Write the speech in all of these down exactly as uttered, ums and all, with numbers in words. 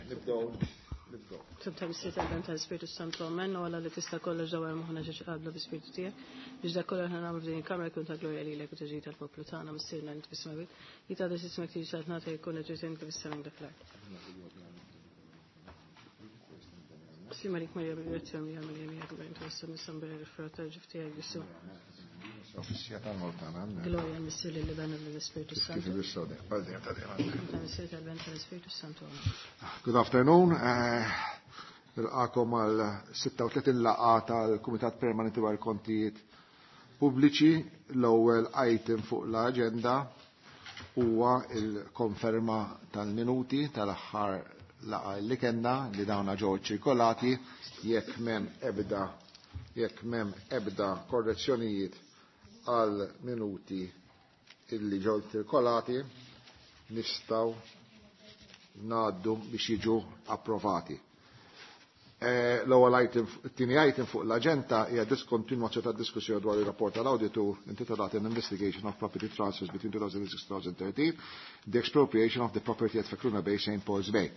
Nibdew. Nibdew. Sometimes sit għal tal-Spiritu Santu Amen, u għalla li tista' kollox dawar moħħna ġeġ qablu bi-Spiritu tiegħek. Biex dak kollox aħna nagħmlu f'din il-kamra jkun ta' glorja lilek u taġid tal-poplu tagħna missierna li fis-smewwiet. Jitgħadda ismek tiġi saltnata jkun ġisem kif is-sema dak l-art. Slim għalik Marija bil-grazzja mija Marija mija kbar intu għassa nissan bera l-frott tal-ġuf tiegħek Ġesù. Offiċja tal-Maltana. Glorja missier li ben l-Ispiritu Kif Santu. il-sodek, għal dejjem ta' dejjem. Ta' missier tal-ben tal-Ispiritu Santu. Good afternoon. Nilqakom għal sitta u tletin laqgħa tal-Kumitat Permanenti dwar Kontijiet Pubbliċi. L-ewwel item fuq l-aġenda huwa il-konferma tal-minuti tal-aħħar laqgħa li kellna li dawna ġew ċirkolati. Jekk m'hemm ebda, jekk m'hemm ebda korrezzjonijiet għal minuti illi ġew ċirkolati, nistgħu ngħaddu biex jiġu approvati. Eh, l-ewwel item, it-tieni item fuq l-aġenda hija diskontinwazzjoni tad-diskussjoni dwar ir-rapport tal-awditur intitolat An Investigation of Property Transfers between two thousand six and two thousand thirteen, the Expropriation of the Property at Fekruna Bay, Saint Paul's Bay.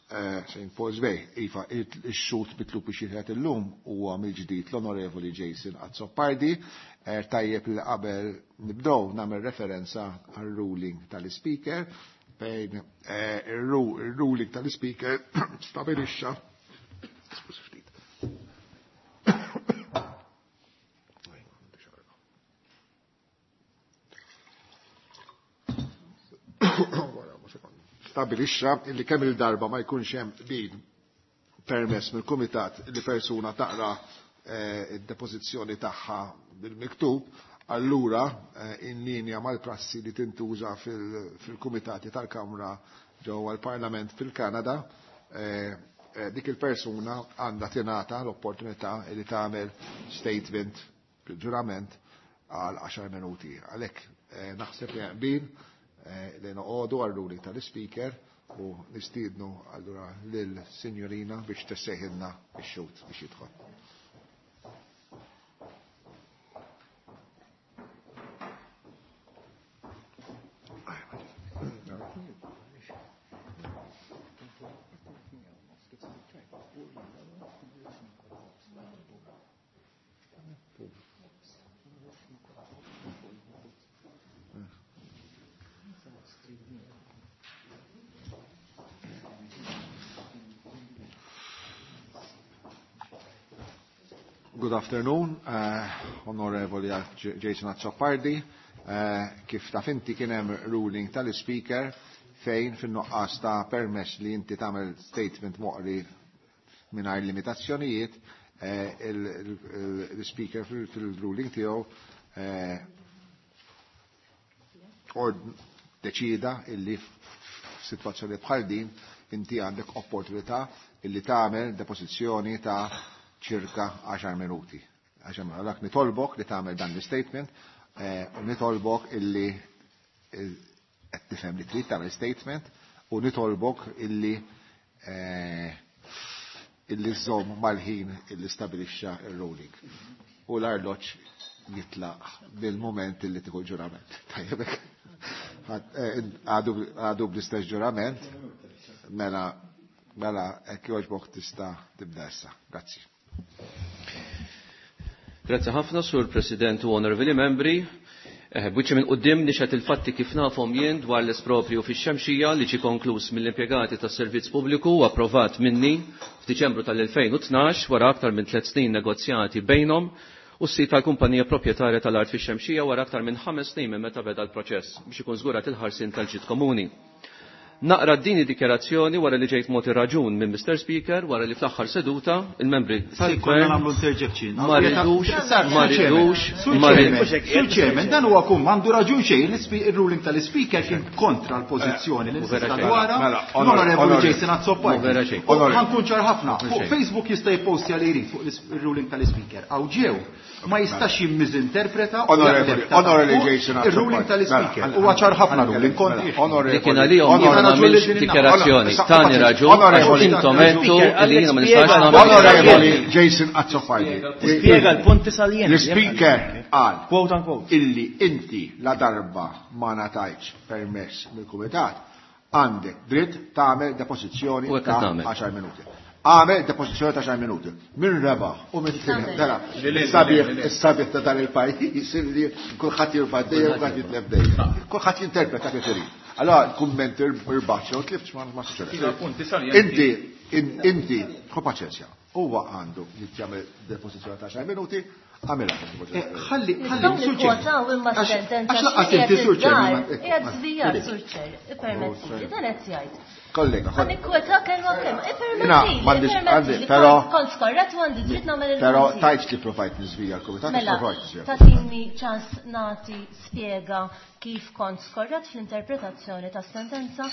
Eh, Saint Paul's Bay, iva, il-xut mitlub biex jieħed illum huwa mill-ġdid l-Onorevoli Jason Azzopardi. Eh, tajjeb li qabel nibdew nagħmel referenza għar-ruling tal-Speaker fejn, eh, il-ruling tal-Speaker stabilixxa. Stabilixxa illi kemm il-darba ma jkunx hemm qbil permess mill-kumitat li persuna taqra, eh, id-depożizzjoni tagħha bil-miktub, allura, eh, in linja mal-prassi li tintuża fil-, fil-kumitati tal-Kamra ġewwa l-Parlament fil-Kanada, eh, eh, dik il-persuna għandha tingħata l-opportunità li tagħmel statement bil-ġurament għal għaxar minuti. Għalhekk, eh, naħseb li qbil, eh, li noqogħdu għar-ruling tal-Speaker u nistiednu allura lil-Sinjorina biex tessejħilna x-xhud biex jidħol. Good afternoon, uh, Onorevoli Jason Azzopardi. Uh, kif taf inti kien hemm ruling tal-Speaker fejn fin-nuqqas ta' permess li inti tagħmel statement moqri mingħajr limitazzjonijiet, uh, il-, il-, il-Speaker fil-, fil-ruling tiegħu, uh, ord deċida illi f'sitwazzjoni bħal din inti għandek opportunità illi tagħmel depożizzjoni ta' ċirka għaxar minuti. Għaxar minuti. Għalhekk nitolbok li tagħmel dan l-statement, eh, u nitolbok illi, eh, qed tifhem li trid tagħmel statement u nitolbok illi, eh, illi żomm mal-ħin illi stabilixxa ir-ruling. U l-arloġġ jitlaq bil-moment illi tieħu l-ġurament. Tajjeb hekk. Eh, għadu, għadu bl-istess ġurament, mela, mela hekk jogħġbok tista' tibda issa. Grazzi. Grazzi ħafna, Sur President u Onorevoli Membri. Eh, Buċi minn qudiem nixed il-fatti kif nafhom jien dwar l-espropju fix-Xemxija li ġie konkluż mill-impjegati tas-servizz pubbliku u approvat minni f'Diċembru tal-elfejn u tnax wara aktar minn tliet snin negozjati bejnhom u s-sit tal-kumpanija proprjetarja tal-art fix-Xemxija wara aktar minn ħames snin minn meta beda l-proċess biex ikun żgurat il-ħarsien tal-ġid komuni. Naqra din id-dikjarazzjoni wara li ġejt mogħti raġun minn Mister Speaker wara li fl-aħħar seduta il-membri Sì, tal-Gvern konna nagħmlu interjection. ma ridux, Sar, ma Sur Chairman, ridux, Sur ma Chairman, ridux. Sur Chairman, dan huwa kum għandu raġun xejn, l-ispi-, il-ruling tal-Speaker kien kontra l-pożizzjoni li Mhu vera nista' xejn. dwarha. Mela, onor- L-Onorevoli onor- Jason Azzopardi. Mhu vera xejn. U ħankun ċar ħafna. Mhu Fuq xejn. Facebook jista' jipostja li jrid fuq l-is-, il-ruling tal-Speaker. Aw ġew ma jistax jimmiżinterpreta u Onorevoli, jaċċetta Onorevoli fuq Jason il-ruling Azzopardi. tal-Speaker. Mela, Huwa ċar ħafna mela, ruling mela, kontra. onorevoli, Li kien għalihom jiena onorevoli, nagħmilx dikjarazzjoni. Tani raġun, għax Onorevoli, intom għedtu li jiena ma nistax nagħmel Onorevoli dikjarazzjoni. Jason Azzopardi. Spjega l-punti salienti. L-Speaker qal Quote unquote. illi inti la darba ma ngħatajtx permess mill-Kumitat, Għandek dritt tagħmel depożizzjoni ta' għaxar minuti. Għamel depożizzjoni ta' għaxar minuti. Min rebaħ u min tilef. Dara, is-sabiħ ta' dan il-pajjiż li kulħadd jirbaħ dejjem u kulħadd jitlef dejjem. Kulħadd jinterpreta kif irid. Allora l-kumment irbaħ jew tlift ma suċċedx. Inti, inti, ħu paċenzja. Huwa għandu jagħmel depożizzjoni ta' għaxar minuti, għamilha. Ħalli, ħalli, Sur Chairman. Għax laqqas inti, Sur Chairman. Qiegħed żvijat, Sur Chair, ippermettili, dan qed jgħid. Kollega, kollega. Nikkwota kelma b'kelma, ippermettili, però kont skorrett u għandi dritt nagħmel il Però tajtx li provajt niżvija l-kumitat, provajt niżvija. Tagħtini ċans nagħti spjega kif kont skorrett fl-interpretazzjoni tas-sentenza,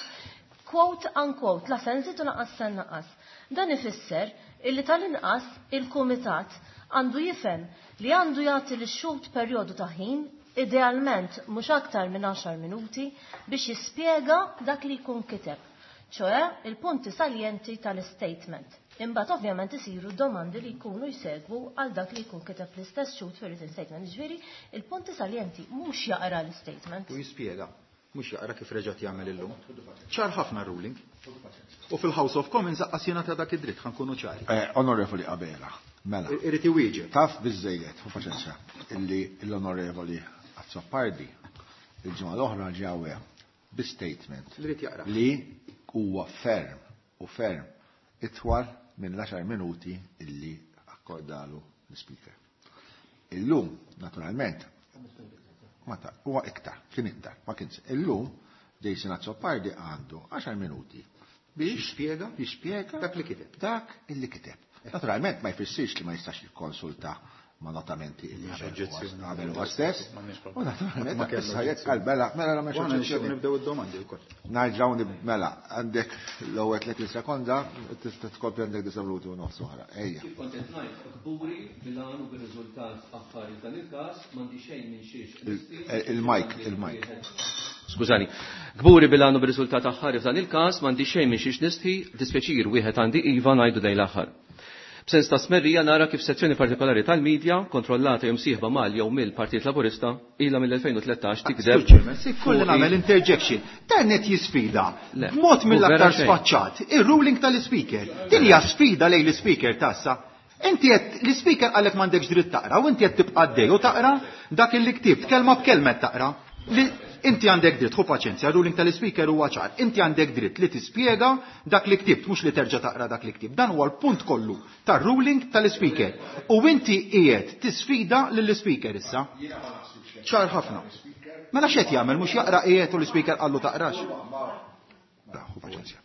quote unquote, la se nżid u lanqas se nnaqqas. Dan ifisser illi tal-inqas il-kumitat għandu jifhem li għandu jagħti lix-xhud perjodu ta' ħin, idealment mhux aktar minn għaxar minuti, biex jispjega dak li jkun kiteb, ċoe il-punti saljenti tal-statement. Imbagħad ovvjament isiru domandi li jkunu jsegwu għal dak li jkun kiteb l-istess xhud fir-written statement. Ġifieri il-punti saljenti mhux jaqra l-statement. U jispjega, mhux jaqra kif reġgħet jagħmel illum. Ċar ħafna ruling. U fil-House of Commons aqqas jingħata dak id-dritt, ħa nkunu ċari. Onorevoli Abela, mela. Irid iwieġeb. Taf biżejjed, hu paċenzja, illi l-Onorevoli Azzopardi il-ġimgħa l-oħra ġewwa bi statement Li rid jaqra. li huwa ferm u ferm itwal minn l-għaxar minuti illi akkordalu l-speaker. Illum, naturalment, ma ta' huwa iktar, kien iktar, ma kienx. Illum Jason Azzopardi għandu għaxar minuti biex jispjega jispjega dak li kiteb. Dak illi kiteb. Naturalment ma jfissirx li ma jistax jikkonsulta ma notamenti illi għamel huwa stess. U naturalment Ma kellu issa jekk għal mela, mela la Għana m'hemmx nixtieq oġġezzjoni. nibdew id-domandi wkoll. Narġgħu nib-, mela, għandek l-ewwel tletin sekonda, tista' tkompli għandek disa' minuti u nofs oħra. Ejja. Kif kont qed ngħid, kburi bil-għan u bir-riżultat aħħari f'dan il-każ, m'għandi xejn minn xiex. Il-mic, il-mic. Skużani. Kburi bil-għan u bir-riżultat aħħari f'dan il-każ, m'għandi xejn minn xiex nistħi, dispjaċir wieħed għandi iva ngħidu dejn l-aħħar. B'sens ta' smerrija nara kif sezzjoni partikolari tal-medja kontrollata jew msieħba mal jew mill-Partit Laburista ilha mill-elfejn u tlettax tikdeb. Sur Chairman, se jkolli nagħmel interjection. Dan qed jisfida Le, b'mod mhu mill-aktar vera xejn. sfaċċat ir-ruling tal-ispeaker. Din hija sfida lejn l-ispeaker tassa. Inti qed l-ispeaker qalek m'għandekx dritt taqra u inti qed tibqa' għaddej u taqra dak illi ktibt, kelma b'kelma qed taqra. Li inti għandek dritt, ħu paċenzja, ruling tal-ispeaker huwa ċar. Inti għandek dritt li tispjega dak li ktibt, mhux li terġa' taqra dak li ktibt. Dan huwa l-punt kollu tar-ruling tal-ispeaker. U inti qiegħed tisfida lill-ispeaker issa. Ċar ħafna. Mela x'qed jagħmel, mhux jaqra qiegħed u l-ispeaker qallu taqrax. Ħu paċenzja.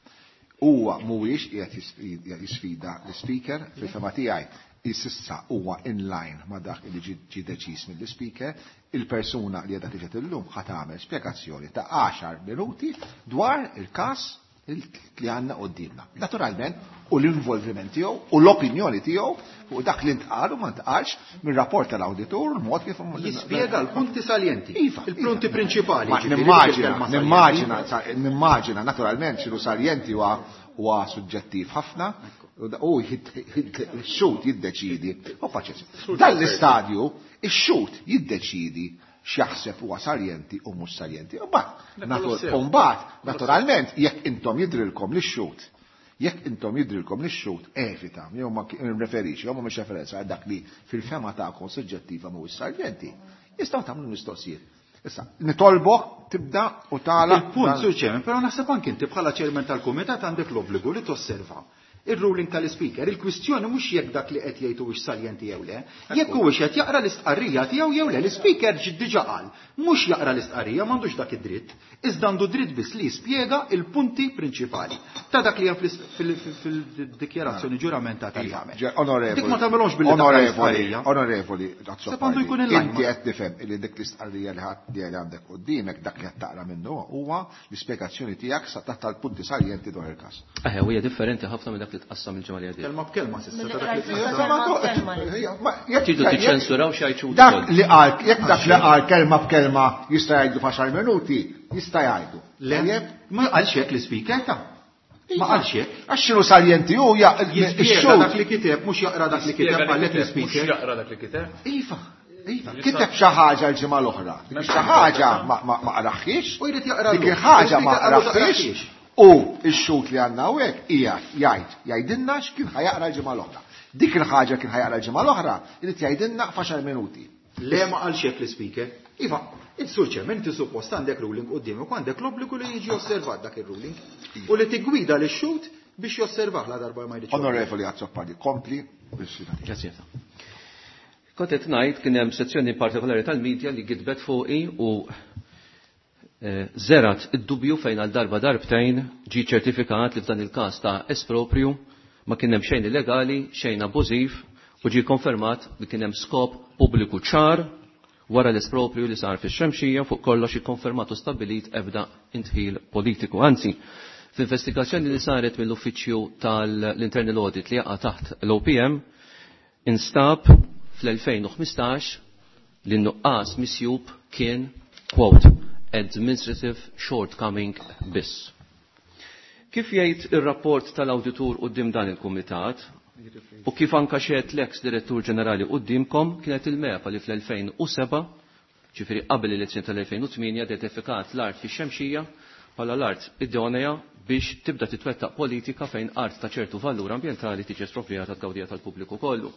Huwa mhuwiex qiegħed jisfida l-ispeaker fil-fema tiegħi. Issa huwa in line ma dak li ġi deċiż mill-speaker, il-persuna li qiegħda tiġi illum ħa tagħmel spjegazzjoni ta' għaxar minuti dwar il-każ li għandna quddiemna. Naturalment, u l-involviment tiegħu u l-opinjoni tiegħu fuq dak li ntqal u ma ntqalx mir-rapport tal-awditur, il-mod kif Jispjega l-punti saljenti. Iva, il-punti iva. prinċipali, Ma ġifieri, nimmaġina, bil-kelma saljenti. nimmaġina, sa-, nimmaġina, naturalment x'inhu saljenti huwa huwa suġġettiv ħafna. U x-xhud jiddeċidi. U paċenzja. Dan l-istadju, ix-xhud jiddeċidi x'jaħseb huwa saljenti u mhux saljenti. U mbagħad, Dak u mbagħad, naturalment, jekk intom jidrilkom lix-xhud, jekk intom jidrilkom lix-xhud, evita, jew ma nreferix, jew ma mhux referenza għal dak li fil-fema tagħkom suġġettiva mhuwiex saljenti, jistgħu tagħmlu mistoqsijiet. Issa, nitolbok tibda u tagħlaq Il-punt, dan- Sur Chairman, però naħseb anke inti bħala chairman tal-kumitat għandek l-obbligu li tosserva il-ruling tal-speaker. Il-kwistjoni mhux jekk dak li qed jgħid huwiex saljenti jew le, jekk huwiex qed jaqra l-istqarrija tiegħu jew le. L-speaker ġi diġà qal, mhux jaqra l-istqarrija, m'għandux dak id-dritt, iżda għandu dritt biss li jispjega il-punti prinċipali ta' dak li hemm fil-, fil-, fil-dikjarazzjoni ġuramentata li jagħmel. Ġe, onorevoli, Dik ma tagħmelhomx billi taqra onorevoli, l-istqarrija. Onorevoli, Sepp għandu jkun in-line inti ma- qed tifhem li dik l-istqarrija li ħadd li għandek quddiemek dak li qed taqra minnu huwa l-ispjegazzjoni tiegħek sa taħt tal-punti saljenti dwar il-każ. Eħe, u hija differenti ħafna minn dak li tqassam il-ġimgħa li għaddiet. Kelma b'kelma s'issa ta' dak li Mill-qrajt tqassam. kelma b'kelma li. Ma, jekk- Tridu jekk- tiċċensuraw xi jgħid Dak ukoll. li qal, jekk dak li qal kelma b'kelma jista' jgħidu f'għaxar minuti, jista' jgħidu. Le, ma qalx hekk l-ispeaker ta' Ma qalx hekk. Għax x'inhu saljenti hu ja Jispjega ix-xhud. dak li kiteb, mhux jaqra dak li kiteb qalek l-ispeaker. Mhux jaqra dak li kiteb. Iva, iva. Kiteb xi ħaġa l-ġimgħa l-oħra. Dik xi ħaġa ma, ma, ma qraħħiex. U jrid jaqra Dik llum. il-ħaġa ma L-ispeaker qalu qraħħiex. taqraħħiex. U x-xhud li għandna hawnhekk hija jgħid jgħidilna x'kien ħajaqra l-ġimgħa l-oħra. Dik il-ħaġa kien ħajaqra l-ġimgħa l-oħra irid jgħidilna f'għaxar minuti. Le ma qalx hekk l-Speaker. Iva, Sur Chairman, inti suppost għandek ruling quddiemek u għandek l-obbligu li jiġi osservat dak ir-ruling u li tiggwida lix-xhud biex josservah la darba ma jridx. Onorevoli Azzopardi, kompli. Grazie. Kont qed ngħid kien hemm sezzjoni partikolari tal-medja li gidbet fuqi u żerat id-dubju fejn għal darba darbtejn ġie ċertifikat li f'dan il-każ ta' esproprju ma kien hemm xejn illegali, xejn abbużiv u ġie konfermat li kien hemm skop pubbliku ċar wara l-esproprju li sar fix-Xemxija fuq kollox ikkonfermat u stabbilit ebda intħil politiku. Anzi, f'investigazzjoni li saret mill-Uffiċċju tal-Internal Audit li jaqa' taħt l-O P M instab fl-elfejn u ħmistax li n-nuqqas misjub kien, quote, administrative shortcoming biss. Kif jgħid ir-rapport tal-awditur quddiem dan il-kumitat u kif anka xehed l-ex direttur ġenerali quddiemkom kienet il-MEPA li fl-elfejn u seba', ġifieri qabel l-elezzjoni tal-elfejn u tmienja, identifikat l-art fix-Xemxija bħala l-art idonea biex tibda titwettaq politika fejn art ta' ċertu valur ambjentali tiġi esproprjata tgawdija tal-pubbliku kollu.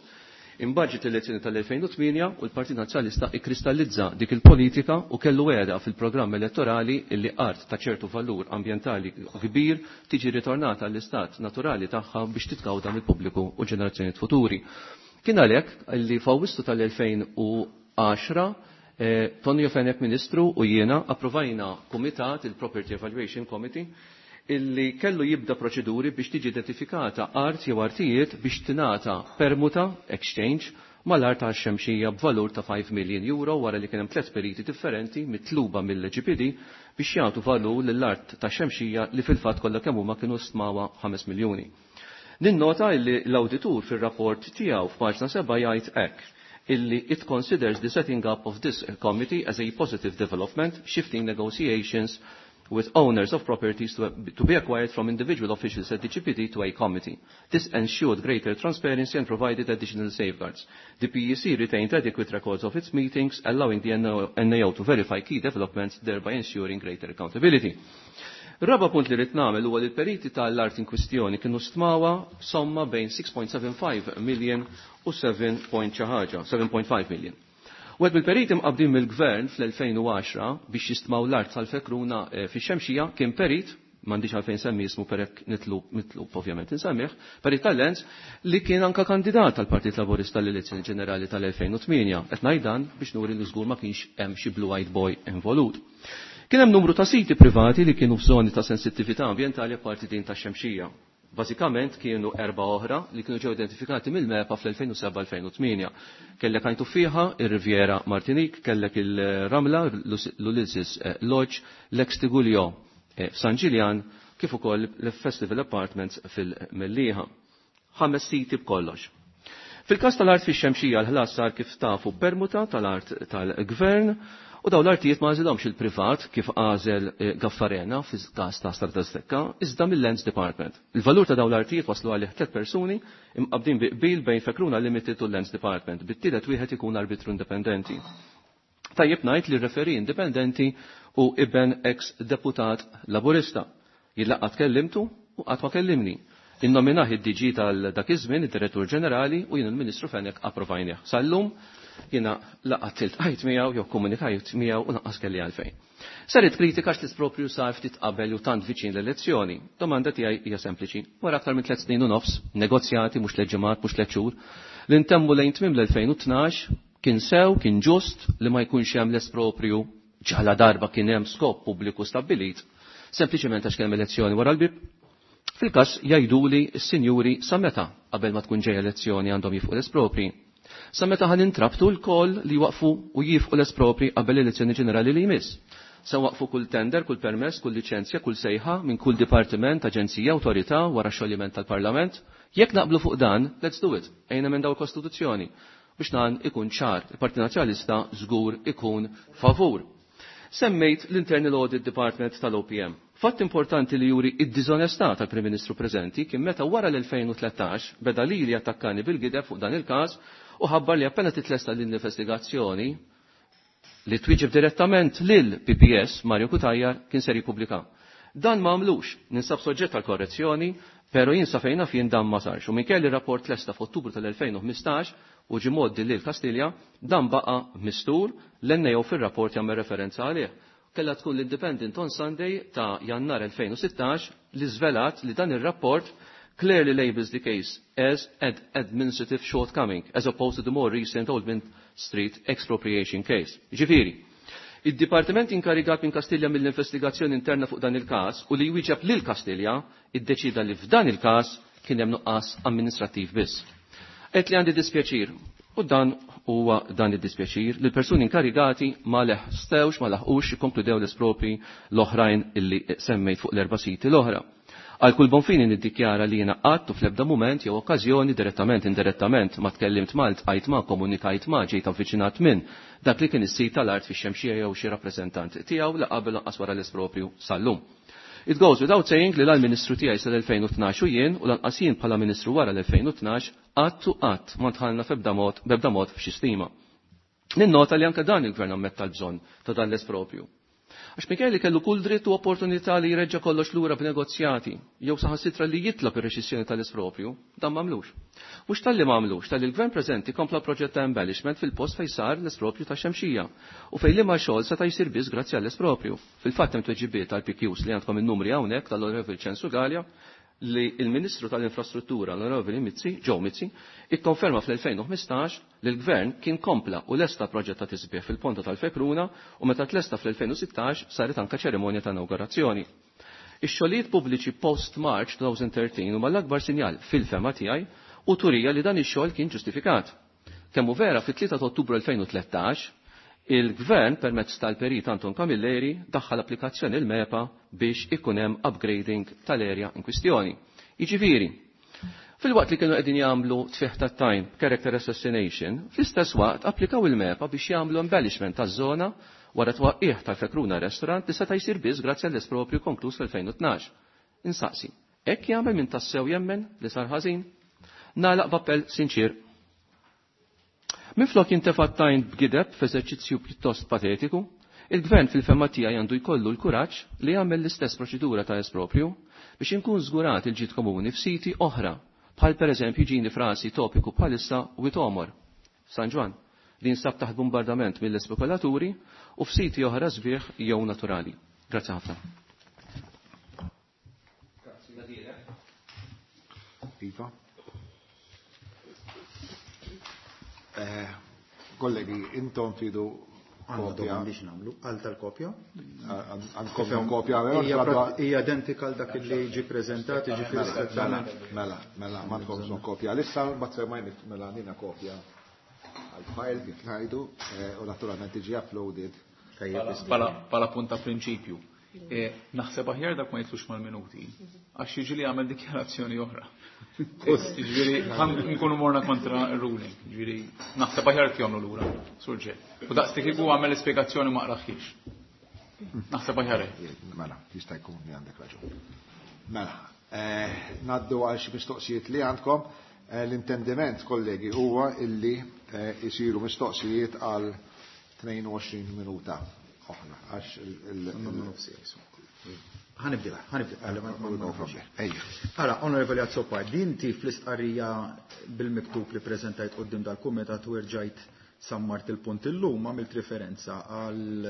Imbagħad ġiet l-elezzjoni tal-elfejn u tmienja u l-Partit Nazzjonalista ikkristallizza dik il-politika u kellu wegħda fil-programm elettorali illi art ta' ċertu valur ambjentali kbir tiġi ritornata għall-istat naturali tagħha biex titgawda mill-pubbliku u ġenerazzjonijiet futuri. Kien għalhekk li f'Awwissu tal-elfejn u għaxra, eh, Tonio Fenech Ministru u jiena approvajna kumitat, il-Property Evaluation Committee, illi kellu jibda proċeduri biex tiġi identifikata art jew artijiet biex tingħata permuta exchange mal-art għal Xemxija b'valur ta' five million euro wara li kien hemm tliet periti differenti mitluba mill-G P D biex jagħtu valur lill-art ta' Xemxija li fil-fatt kollha kemm huma kienu stmawha ħames miljuni. Ninnota illi l-awditur fir-rapport tiegħu f'paġna seba' jgħid hekk illi it considers the setting up of this committee as a positive development, shifting negotiations with owners of properties to, to be acquired from individual officials at the G P D to a committee. This ensured greater transparency and provided additional safeguards. The P E C retained adequate records of its meetings, allowing the N A O to verify key developments, thereby ensuring greater accountability. Raba punt li rrid nagħmel huwa li l-periti tal-art in kwistjoni kienu stmawa somma bejn six point seven five million u seven point xi ħaġa, seven point five million. U għed bil-periti mqabdin mill-gvern fl-elfejn u għaxra biex jistmaw l-art tal-Fekruna, eh, fix-Xemxija kien perit, m'għandix għalfejn semmi ismu perek nitlub, mitlub ovvjament insemmih, perit tal-Lens li kien anka kandidat tal-Partit Laburista l-elezzjoni ġenerali tal-elfejn u tmienja. Qed ngħid dan biex nuri li żgur ma kienx hemm xi blue eyed boy involut. Kien hemm numru ta' siti privati li kienu f'żoni ta' sensittività ambjentali apparti din tax-Xemxija. Bażikament kienu erba' oħra li kienu ġew identifikati mill-MEPA fl-elfejn u seba' elfejn u tmienja. Kellek Għajn Tuffieħa, ir-Riviera Martinique, kellek il-Ramla, l-Ulysses, eh, Lodge, l-ex Tigullio, eh, f'San Ġiljan, kif ukoll l-Festival Apartments fil-Mellieħa. Ħames siti b'kollox. Fil-każ tal-art fix-Xemxija l-ħlas sar kif tafu permuta tal-art tal-gvern u dawn l-artijiet ma għażilhomx il-privat kif għażel, eh, Gaffarena fil-każ ta' Strada Stekka, iżda mill-Lands Department. Il-valur ta' dawn l-artijiet waslu għalih tliet persuni imqabdin bi qbil bejn Fekruna Limited u Lands Department, bit-tielet wieħed ikun arbitru indipendenti. Tajjeb ngħid li referi indipendenti u iben ex-deputat Laburista. Jillaqgħat kellimtu u qatt ma kellimni. Innominah id-D G tal-dak iż-żmien, id-Direttur Ġenerali, u jien il-Ministru Fenech approvajnieh. Sal-lum jiena laqgħat iltqajt miegħu jew komunikajt miegħu u lanqas kelli għalfejn. Saret kritika għax l-ispropju sar ftit qabel u tant viċin l-elezzjoni. Domanda tiegħi hija sempliċi. Wara aktar minn tliet snin u nofs, negozjati mhux tliet ġimgħat, mhux tliet xhur, li ntemmu lejn tmiem l-elfejn u tnax kien sew, kien ġust li ma jkunx hemm l-esproprju ġala darba kien hemm skop pubbliku stabbilit, sempliċement għax kien hemm elezzjoni wara l-bib. Fil-każ jgħiduli s-sinjuri sa meta qabel ma tkun ġejja elezzjoni għandhom jifqu l-espropri. Sa meta ħan intrabtu l-koll li waqfu u jifqu l-espropri qabel l-elezzjoni ġenerali li jmiss. Sa waqfu kull tender, kull permess, kull liċenzja, kull sejħa minn kull dipartiment, aġenzija, awtorità wara xoljiment tal-Parlament. Jekk naqblu fuq dan, let's do it. Ejna minn daw il-Kostituzzjoni biex dan ikun ċar. Il-Partit Nazzjonalista żgur ikun favur. Semmejt l-Internal Audit Department tal-O P M. Fatt importanti li juri id-diżonestà tal-Prim Ministru preżenti kien meta wara l-elfejn u tlettax beda lili attakkani bil-gideb fuq dan il-każ u ħabbar li appena titlesta l-investigazzjoni li twieġeb direttament lil P P S Mario Cutajar kien ser jippubblika. Dan ma għamlux, ninsab soġġett għal korrezzjoni, pero jien sa fejna fien dan ma sarx. U minkejja li rapport lesta f'Ottubru tal-elfejn u ħmistax u ġie mgħoddi lil Kastilja, dan baqa' mistur, l-N A O fir-rapport jagħmel referenza għalih. Kellha tkun l-Independent on Sunday ta' Jannar elfejn u sittax li żvelat li dan ir-rapport clearly labels the case as an administrative shortcoming, as opposed to the more recent Old Mint Street expropriation case. Ġifieri, id-Dipartiment inkarigat minn Kastilja mill-investigazzjoni interna fuq dan il-każ u li jwieġeb lil Kastilja iddeċida li f'dan il-każ kien hemm nuqqas amministrattiv biss. Qed li għandi dispjaċir, u dan huwa dan id-dispjaċir li l-persuni inkarigati ma leħstewx, ma laħqux jikkonkludew l-espropri l-oħrajn illi semmejt fuq l-erba' siti l-oħra. Għal kull bonfini niddikjara li jiena qatt u fl-ebda mument jew okkażjoni direttament indirettament ma tkellimt ma ltqajt ma komunikajt ma ġejt avviċinat minn dak li kien is-sit tal-art fix-Xemxija jew xi rappreżentant tiegħu la qabel lanqas wara l-espropju sal-lum. It goes without saying li l-Ministru tiegħi sal-elfejn u tnax u jien u lanqas jien bħala Ministru wara l-elfejn u tnax qatt u qatt ma dħalna f'ebda mod, b'ebda mod f'xi stima. Ninnota li anke dan il-Gvern ammetta l-bżonn ta' dan l-espropju. Għax minkejja li kellu kull dritt u opportunità li jreġġa' kollox lura b'negozjati, jew saħansitra li jitlob ir-reċissjoni tal-espropju, dan m'għamlux. Mhux talli m'għamlux, talli l-Gvern preżenti kompla proġett ta' embellishment fil-post fejn sar l-espropju ta' Xemxija u fejn liema xogħol seta' jsir biss grazzi għall-espropju. Fil-fatt hemm tweġibiet tal-P Qs li għandkom in-numri hawnhekk tal-Onorevoli Ċensu Galea li il-Ministru tal-Infrastruttura l-Onorevoli Mizzi, Joe Mizzi, ikkonferma fl-elfejn u ħmistax li l-Gvern kien kompla u lesta proġett ta' tisbieħ fil-Ponta tal-Fekruna u meta tlesta fl-elfejn u sittax saret anka ċerimonja ta' inaugurazzjoni. Ix-xogħlijiet pubbliċi post-March twenty thirteen huma l-akbar sinjal fil-fema tiegħi u turija li dan ix-xogħol kien ġustifikat. Kemm hu vera fit-tlieta ta' Ottubru elfejn u tlettax, il-Gvern permezz tal-Perit Anton Camilleri daħħal applikazzjoni l-MEPA biex ikun hemm upgrading tal-erja in kwistjoni. Jiġifieri, filwaqt li kienu qegħdin jagħmlu tfieħ tat-tajn character assassination, fl-istess waqt applikaw il-MEPA biex jagħmlu embellishment taż-żona wara twaqqih tal-Fekruna Restaurant li seta' jsir biss grazzi għall-espropju konkluż fl-elfejn u tnax. Insaqsi, hekk jagħmel min tassew jemmen li sar ħażin? Nagħlaq b'appell sinċir. Minflok jintefa' t-tajn b'gideb f'eżerċizzju pjuttost patetiku, il-Gvern fil-fema tiegħi għandu jkollu l-kuraġġ li jagħmel l-istess proċedura ta' espropju biex inkun żgurat il-ġid komuni f'siti oħra, bħal pereżempju ġini frasi topiku bħalissa Witomor, San Ġwann, li jinsab taħt bombardament mill-espekulaturi u f'siti oħra sbieħ jew naturali. Grazzi ħafna. Iva. Eh, kollegi, intom tridu Għandna kopja. domandi x'nagħmlu, għal tal-kopja? Għandkom kopja, vero? Hija Għadha- prat-, hija identika għal dak li ġi preżentat, jiġifieri Mela, strettament. mela, mela, ma tkomx bżonn kopja. Issa mbagħad se ma jmit, mela nina kopja għal-file kif ngħidu, eh, u naturalment tiġi uploaded. Tajjeb, Pala, isma'. pala, pala punta prinċipju. Eh, naħseb aħjar dak ma jitlux mal-minuti, għax jiġi li għamel dikjarazzjoni oħra. Jiġifieri, ħan nkunu morna kontra ruling, jiġifieri, naħseb aħjar tjomlu lura, surġe. U daqs li kieku għamel ispjegazzjoni ma qraħħiex. Naħseb aħjar hekk. Mela, jista' jkun li għandek raġun. Mela, eh, ngħaddu għal xi mistoqsijiet li għandkom. Eh, l-intendiment, kollegi, huwa illi, eh, isiru mistoqsijiet għal tnejn u għoxrin minuta oħra. Għax il-, il-, il-, Ħanibdilha, ħanibdilha. Għalli, ma-, ma-, no problem. Ejja. Ara, Onorevoli Azzopardi, inti fl-istqarrija bil-miktub li preżentajt quddiem dal-kumitat u rġajt sammart il-punt illum għamilt referenza għal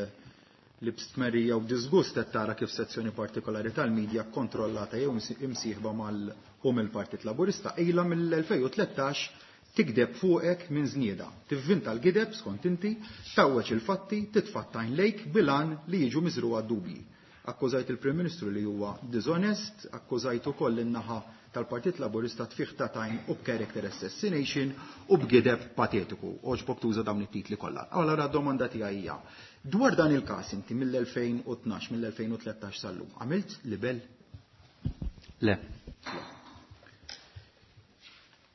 li b'stmerija u disgust qed tara kif sezzjoni partikolari tal-medja kontrollata jew imsieħba mal u mill-Partit Laburista ilha mill-elfejn u tlettax tikdeb fuqek minn żnieda, tivvinta l-gideb skont inti, tawweġ il-fatti, titfattajn lejk bilan li jiġu miżruha dubji. Akkużajt il-Prim Ministru li huwa dishonest, akkużajt ukoll in-naħa tal-Partit Laburista tfih ta' tajn u b'character assassination u b'gideb patetiku. Oġbok tuża dawn it-titli kollha. Allora d-domanda tiegħi hija, dwar dan il-każ inti mill-elfejn u tnax, mill-elfejn u tlettax sal-lum, għamilt libel? Le.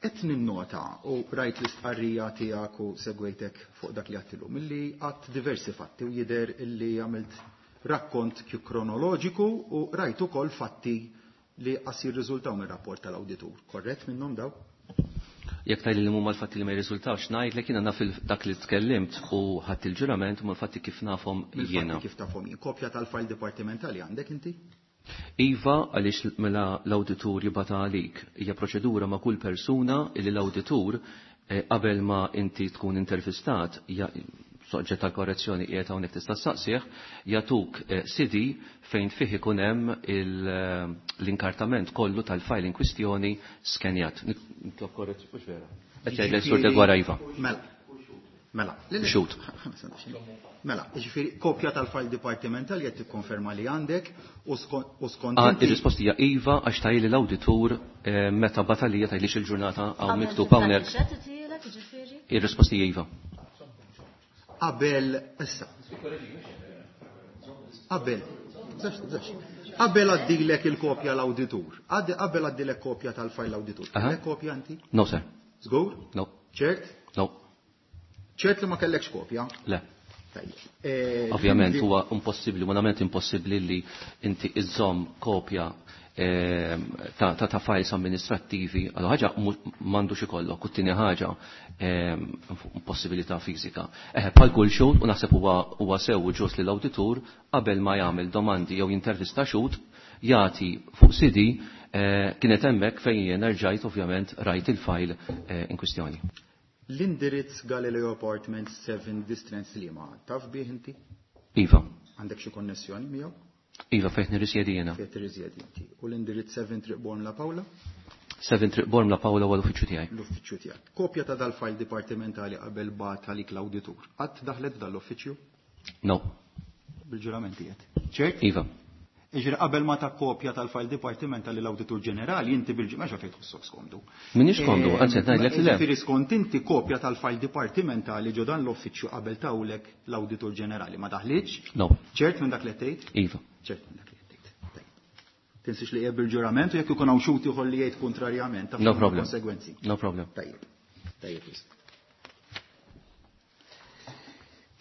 Qed ninnota u rajt l-istqarrija tiegħek u segwejtek fuq dak li għedtilhom, milli għadt diversi fatti u jidher illi għamilt rakkont kronoloġiku u rajt ukoll fatti li qas jirriżultaw mir-rapport tal-awditur. Korrett minnhom daw? Jekk tgħid li huma l-fatti li ma jirriżultawx, ngħidlek jiena naf il-, dak li tkellimt u ħadd il-ġurament huma l-fatti kif nafhom Mill-fatti jiena. Kif tafhom jien. Kopja tal-file dipartimentali għandek inti? Iva, għaliex mela l-awditur jibgħatha għalik. Hija proċedura ma' kull persuna illi l-awditur qabel ma inti tkun intervistat, soġġett tal-korrezzjoni qiegħed hawnhekk tista' ssaqsih, jagħtuk C D fejn fih ikun hemm l-inkartament kollu tal-file in kwistjoni skenjat. Nitlob korrezzjoni, mhux vera. Qed jgħidlek Sur Deguara iva. Mela. Mela. Xut. Mela, jiġifieri kopja tal-file dipartimentali qed tikkonferma li għandek u skont. Ir-risposta hija iva għax tajli l-awditur meta batalija tajlix il-ġurnata hawn miktub hawnhekk. Ir-risposta hija iva. Qabel issa. Qabel. Qabel għaddilek il-kopja l-awditur. Qabel għaddilek kopja tal-file l-awditur. Kellek kopja inti? No, sir. Żgur? No. Ċert? No. Ċert li ma kellekx kopja? Le. Ovvjament huwa impossibbli, umanament impossibbli li inti iżżomm kopja ta' ta' files amministrattivi, għal ħaġa m'għandux ikollok, u t-tieni ħaġa impossibilità fiżika. Eħe, bħal kull xhud, u naħseb huwa sew u ġust li l-awditur qabel ma jagħmel domandi jew jintervista xhud jagħti fuq C D kienet hemmhekk fejn jien rġajt ovvjament rajt il-file in kwistjoni. L-indirizz Galileo Apartments seven Distrance Lima, taf bih inti? Iva. Għandek xi konnessjoni miegħu? Iva, fejn nirrisjedi jiena. Fejn tirrisjedi inti. U l-indirizz seven Triq Bormla Paola? seven Triq Bormla Paola huwa l-uffiċċju tiegħi. L-uffiċċju tiegħek. Kopja ta' dal-file dipartimentali qabel bagħat għalik l-awditur. Qatt daħlet f'dal-uffiċċju? No. Bil-ġurament qiegħed. Ċert? Iva. Iġri qabel ma ta' kopja tal-file dipartimentali l-awditur ġenerali, inti bil-ġimgħa fejn tħossok skomdu. Minix komdu, anzi qed ngħidlek li le. Jiġifieri skont inti kopja tal-file dipartimentali ġo dan l-uffiċċju qabel tawlek l-awditur ġenerali ma daħlitx? No. Ċert minn dak li qed tgħid? Iva. Ċert minn dak li qed tgħid. Tinsiex li qiegħed bil-ġurament u jekk ikun hawn xhud ieħor li jgħid kontrarjament taf No problem. Konsegwenzi. No problem. Tajjeb. Tajjeb.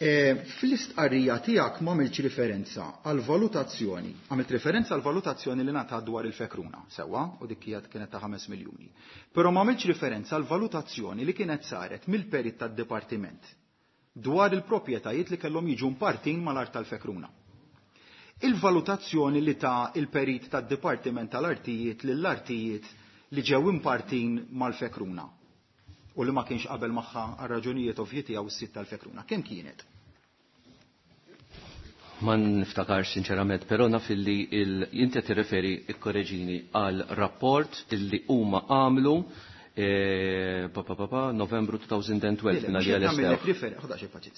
Fl-istqarrija tiegħek ma għamiltx referenza għal valutazzjoni, għamilt referenza għal valutazzjoni li ngħatat dwar il-Fekruna, sewwa, u dik hija kienet ta' ħames miljuni. Però ma għamiltx referenza għal valutazzjoni li kienet saret mill-perit tad-dipartiment dwar il-proprjetajiet li kellhom jiġu mpartin mal-art tal-Fekruna. Il-valutazzjoni li ta' il-perit tad-dipartiment tal-artijiet lill-artijiet li ġew impartin mal-Fekruna u li ma kienx qabel magħha għal raġunijiet ovvji tiegħu s-sit tal-Fekruna. Kemm kienet? Ma niftakarx sinċerament, però naf illi inti qed tirreferi ikkoreġini għal rapport illi huma għamlu pa pa pa pa Novembru twenty twelve minn għalija l-estew.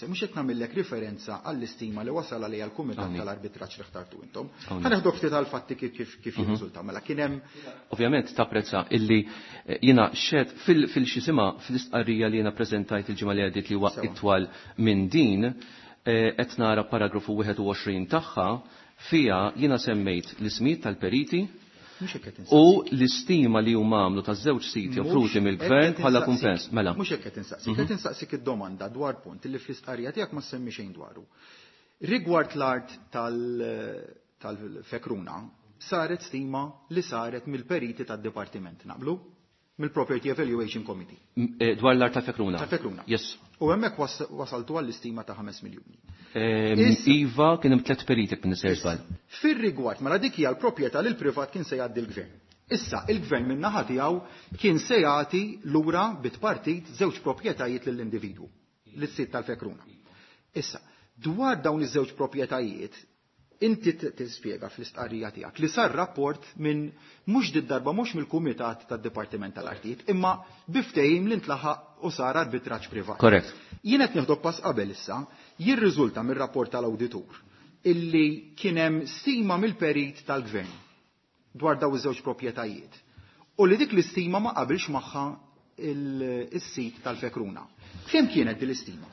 Mhux qed nagħmellek referenza għall-istima li wasal għalija l-Kumitat tal-Arbitraġġ li ħtartu intom. Ħa neħdok ftit għall-fatti kif kif jirriżulta. Mela kien hemm Ovvjament tapprezza illi jiena xed fil-xisima fl-istqarrija li jiena preżentajt il-ġimgħa li għaddiet li huwa itwal minn din, qed nara paragrafu wieħed u għoxrin tagħha fiha jiena semmejt l-ismijiet tal-periti u l-istima li huma għamlu taż-żewġ siti offruti mill-gvern bħala kumpens. Mela. Mhux hekk qed insaqsik, qed insaqsik id-domanda dwar punt li fl-istqarrija tiegħek ma semmi xejn dwaru. Rigward l-art tal-Fekruna saret stima li saret mill-periti tad-dipartiment, naqblu? Mill-Property Evaluation Committee. Dwar l-art tal-Fekruna. Tal-Fekruna. Yes. U hemmhekk wasaltu għall-istima ta' ħames miljuni. Iva, kien hemm tliet periti minn nisser żball. Fir-rigward mela dik hija l-proprjetà li l-privat kien se jgħaddi l-gvern. Issa il-gvern min naħa tiegħu kien se jagħti lura bit-partit żewġ proprjetajiet lill-individwu, lis-sit tal-Fekruna. Issa, dwar dawn iż-żewġ proprjetajiet, inti tispjega fl-istqarrija tiegħek li sar rapport minn mhux did-darba mhux mill-Kumitat tad-Dipartiment tal-Artijiet, imma biftehim li ntlaħaq u sar arbitraġġ privat. Korrett. Jien qed nieħdok pass qabel issa, jirriżulta mir-rapport tal-awditur illi kien hemm stima mill-perit tal-gvern dwar daw iż-żewġ proprjetajiet u li dik l-istima ma qabilx magħha is-sit tal-Fekruna. Kemm kienet din l-istima?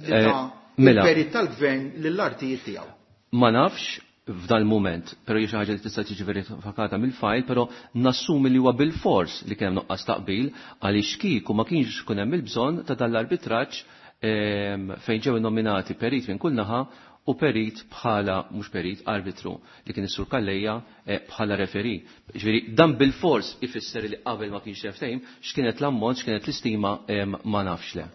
Il-perit tal-gvern lill-artijiet tiegħu. Ma nafx f'dan il-moment, però hija xi ħaġa li tista' tiġi verifikata mill-file, però nassumi li huwa bil-fors li kien hemm nuqqas taqbil għaliex kieku ma kienx ikun hemm il-bżonn ta' dan l-arbitraġġ fejn ġew nominati perit minn kull naħa u perit bħala mhux perit arbitru li kien is-Sur Calleja bħala referi. Ġifieri dan bil-fors ifisser li qabel ma kienx hemm ftehim x'kienet l-ammont, x'kienet l-istima ma nafx le.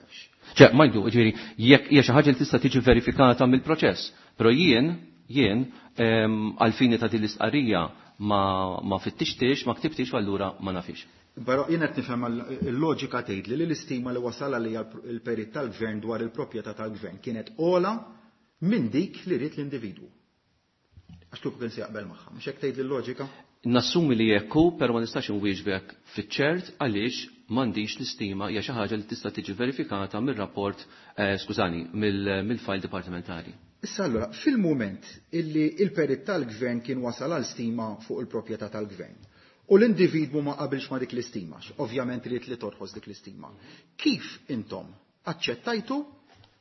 Ċe, ma jdu, ġifieri jekk hija xi ħaġa li tista' tiġi verifikata mill-proċess, però jien Jien għal-fini ta' din l-istqarrija ma, ma fittixtix, ma ktibtix u allura ma nafix. Però jien qed nifhem il-loġika tgħid li l-istima li wasal għalija il-perit tal-gvern dwar il-proprjetà tal-gvern kienet ola minn dik li ried l-individwu. Għax kieku kien se jaqbel magħha, mhux hekk tgħid il-loġika? Nassumi li jekk hu, però ma nistax inwieġbek fiċ-ċert għaliex m'għandix l-istima hija xi ħaġa li tista' tiġi verifikata mir-rapport, eh, skużani, mill-file dipartimentali. Issa allura, fil-mument illi il-perit tal-gvern kien wasal għal stima fuq il-proprjetà tal-gvern u l-individwu ma qabilx ma dik l-istima, ovvjament ried li torħos dik l-istima. Kif intom aċċettajtu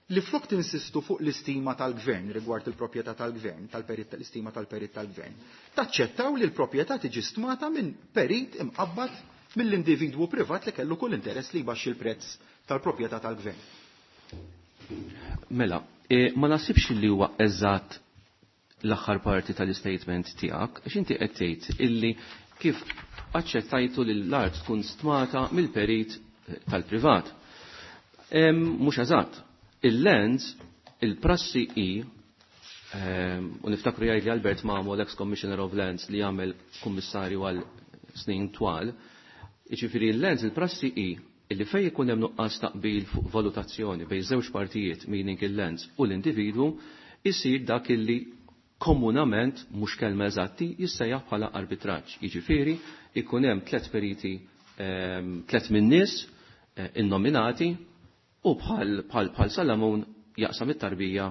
li flok tinsistu fuq l-istima tal-gvern rigward il-proprjetà tal-gvern, tal-perit tal-istima tal-perit tal-gvern, taċċettaw li l-proprjetà tiġi stmata minn perit imqabbad mill-individwu privat li kellu kull interess li jbaxxi l-prezz tal-proprjetà tal-gvern? Mela, e, ma nasibx li huwa eżatt l-aħħar parti tal-statement tiegħek, għax inti qed tgħid illi kif aċċettajtu li l-art tkun stmata mill-perit tal-privat. Mhux eżatt. Il-lands, il-prassi i, u niftakru jgħid li Albert Mamo, l-ex-Commissioner of Lands, li jagħmel kummissarju għal snin twal, jiġifieri il-lands, il-prassi i, illi fej ikun hemm nuqqas taqbil fuq valutazzjoni bejn żewġ partijiet, meaning il-lands u l-individwu, isir dak illi komunament, mhux kelma eżatti, jissejjaħ bħala arbitraġġ. Jiġifieri ikun hemm tliet periti, tliet min-nies innominati u bħal bħal bħal Salamun jaqsam it-tarbija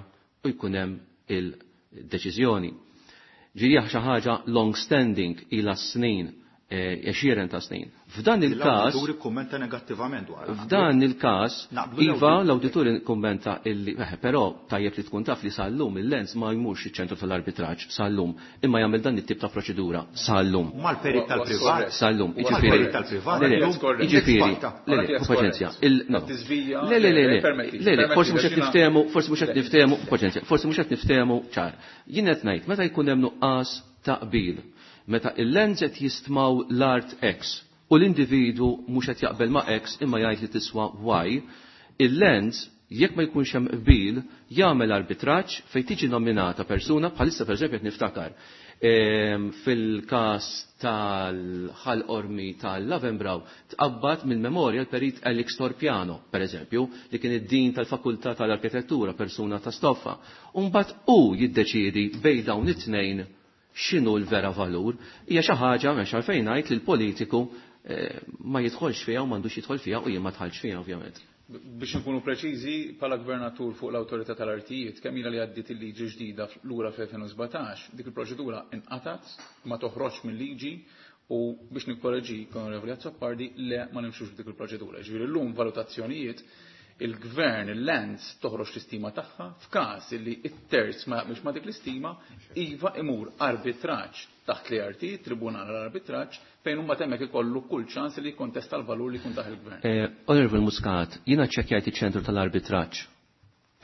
u jkun hemm il-deċiżjoni. Ġieli xi ħaġa long standing ila snin, għexieren ta' snin. F'dan il-każ L-awditur ikkummenta negattivament dwar. F'dan il-każ, iva, l-awditur ikkummenta illi, però tajjeb li tkun taf li sal-lum il-lens ma jmurx iċ-ċentru tal-arbitraġġ sal-lum, imma jagħmel dan it-tip ta' proċedura sal-lum. Mal-perit tal-privat. Sal-lum, jiġifieri. Tal-privat. Jiġifieri. Le, le, paċenzja. Le, le, le, le, le, forsi mhux qed niftehmu, forsi mhux qed niftehmu, paċenzja, forsi mhux qed niftehmu ċar. Jien qed ngħid meta jkun hemm nuqqas taqbil, meta il-lens qed jistmaw l-art X u l-individu mhux qed jaqbel ma' X imma jgħid li tiswa Y, il-lens jekk ma jkunx hemm qbil jagħmel arbitraġġ fejn tiġi nominata persuna bħalissa pereżempju qed niftakar fil-każ tal-Ħal Qormi tal-Lavenbraw tqabbad mill-memorja l-perit Alex Torpiano, pereżempju, li kien id-din tal-Fakultà tal-Arkitettura, persuna ta' stoffa. U mbagħad hu jiddeċiedi bejn dawn it-tnejn x'inhu l-vera valur, hija xi ħaġa m'hemmx għalfejn ngħid li l-politiku ma jidħolx fiha u m'għandux jidħol fiha u jien ma dħalx fiha ovvjament. Biex nkunu preċiżi, bħala gvernatur fuq l-awtorità tal-artijiet, kemm ilha li għaddiet il-liġi ġdida lura fl-elfejn u sbatax, dik il-proċedura inqatat, ma toħroġx mill-liġi u biex nikkoreġi Onorevoli Azzopardi, le ma nimxux b'dik il-proċedura. Ġifieri llum valutazzjonijiet il-gvern, il-lands, toħroġ l-istima tagħha f'każ li t-terz ma jaqbilx ma dik l-istima, iva imur arbitraġġ taħt l-A R T, Tribunal għall-Arbitraġġ, fejn huma temmek ikollu kull ċans li jikkontesta l-valur li jkun taħ il-gvern. Onorevoli Muscat, jiena ċċekkjajt iċ-ċentru tal-arbitraġġ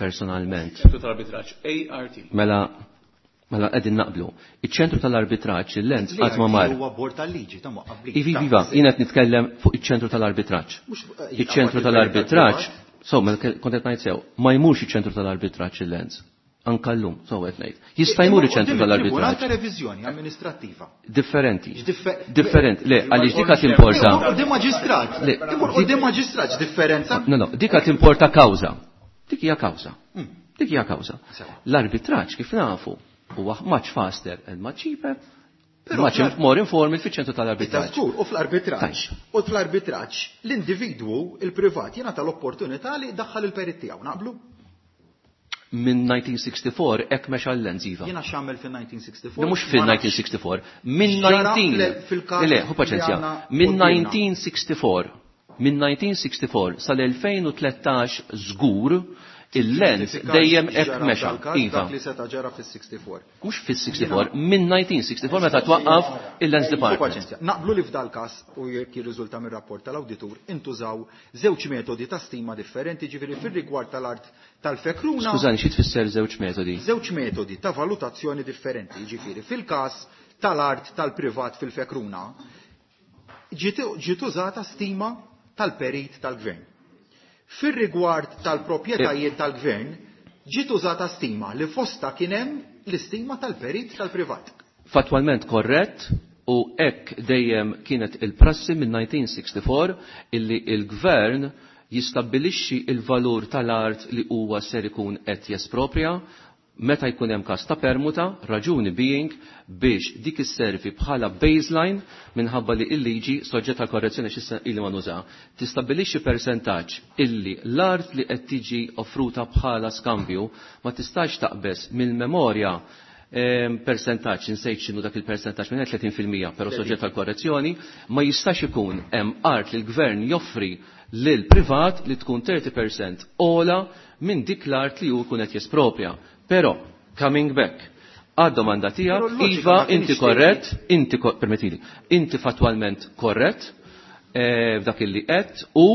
personalment. Ċentru tal-arbitraġġ, A R T. Mela, mela qegħdin naqblu. Iċ-ċentru tal-arbitraġġ, il-lens qatt ma mar. Huwa bord tal-liġi ta' ma qablix. Iva, iva, jiena qed nitkellem fuq iċ-ċentru tal-arbitraġġ. Iċ-ċentru tal-arbitraġġ, so, mela kont qed ngħid sew, ma jmurx iċ-ċentru tal-arbitraġġ il-lens. Anka llum, so qed ngħid. Jista' jmur iċ-ċentru tal-arbitraġġ. Ta' reviżjoni amministrattiva. Differenti. Differenti. Le, għaliex dika timporta. Quddiem maġistrat. Quddiem maġistrat differenza. No, no, dika timporta kawża. Dik hija kawża. Dik hija kawża. L-arbitraġġ kif nafu huwa much faster and much cheaper. Much more informal fiċ-ċentru tal-arbitraġġ. U fl-arbitraġġ, u fl-arbitraġġ l-individwu, il-privat, jingħata l-opportunità li jdaħħal il-perit tiegħu, naqblu? Minn nineteen sixty-four hekk mexa l-lens iva. Jiena x'għamel fil-nineteen sixty-four? Mhux fil-nineteen sixty-four, minn nineteen Le, hu paċenzja. Minn nineteen sixty-four, minn nineteen sixty-four sal-elfejn u tlettax żgur il-lens dejjem hekk mexa. Iva. Dak li seta' ġara fis-sixty-four. Mhux fis-sixty-four, minn nineteen sixty-four meta twaqqaf il-lens department. Naqblu li f'dal każ u jekk jirriżulta mir-rapport tal-awditur intużaw żewġ metodi ta' stima differenti, ġifieri fir-rigward tal-art tal-fekruna. Skużani, xi tfisser żewġ metodi? Żewġ metodi ta' valutazzjoni differenti, ġifieri fil-każ tal-art tal-privat fil-fekruna ġiet użata stima tal-perit tal-gvern. Fir-rigward tal-proprjetajiet tal-gvern, Ġiet użata stima li fosta kien hemm l-istima tal-perit tal-privat. Fatwalment korrett u hekk dejjem kienet il-prassi minn nineteen sixty-four illi il-gvern jistabbilixxi il-valur tal-art li huwa ser ikun qed jesproprja meta jkun hemm każ ta' permuta, raġuni being biex dik isservi bħala baseline minħabba li l-liġi soġġett għal korrezzjoni x'issa illi ma nuża, tistabbilixxi persentaġġ illi l-art li qed tiġi offruta bħala skambju ma tistax taqbeż mill-memorja persentaġġ, insejt x'inhu dak il-persentaġġ minn tletin fil-mija, però soġġett għal korrezzjoni, ma jistax ikun hemm art li l-gvern joffri lil privat li tkun thirty percent ola minn dik l-art li hu jkun qed jespropja. Però, coming back, għad-domanda tiegħek, Però l-loġika Iva, ma kienx inti tgħid. korrett, inti ko-, permettili, inti fatwalment korrett, eh, f'dak illi qed u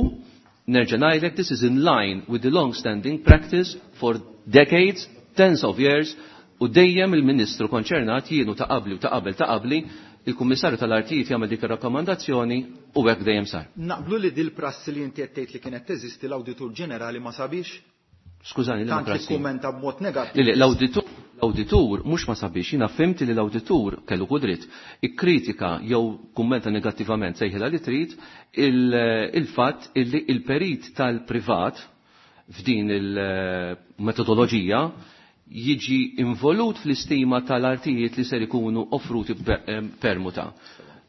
nerġa' ngħidlek this is in line with the long-standing practice for decades, tens of years, u dejjem il-Ministru konċernat jienu ta' qabli u ta' qabel ta' qabli il-Kummissarju tal-Artijiet jagħmel dik ir-rakkomandazzjoni u hekk dejjem sar. Naqblu li dil prassi li inti qed tgħid li kienet teżisti l-Awditur Ġenerali ma sabiex? Skużani, li Tant li prassi. kummenta b'mod negattiv. Le, le, l-awditur, l-awditur mhux ma sabiex, jiena fhimt li l-awditur kellu kudrit, ikkritika jew kummenta negattivament sejħilha li trid il-fatt illi il-perit tal-privat f'din il-metodoloġija jiġi involut fl-istima tal-artijiet li ser ikunu offruti permuta.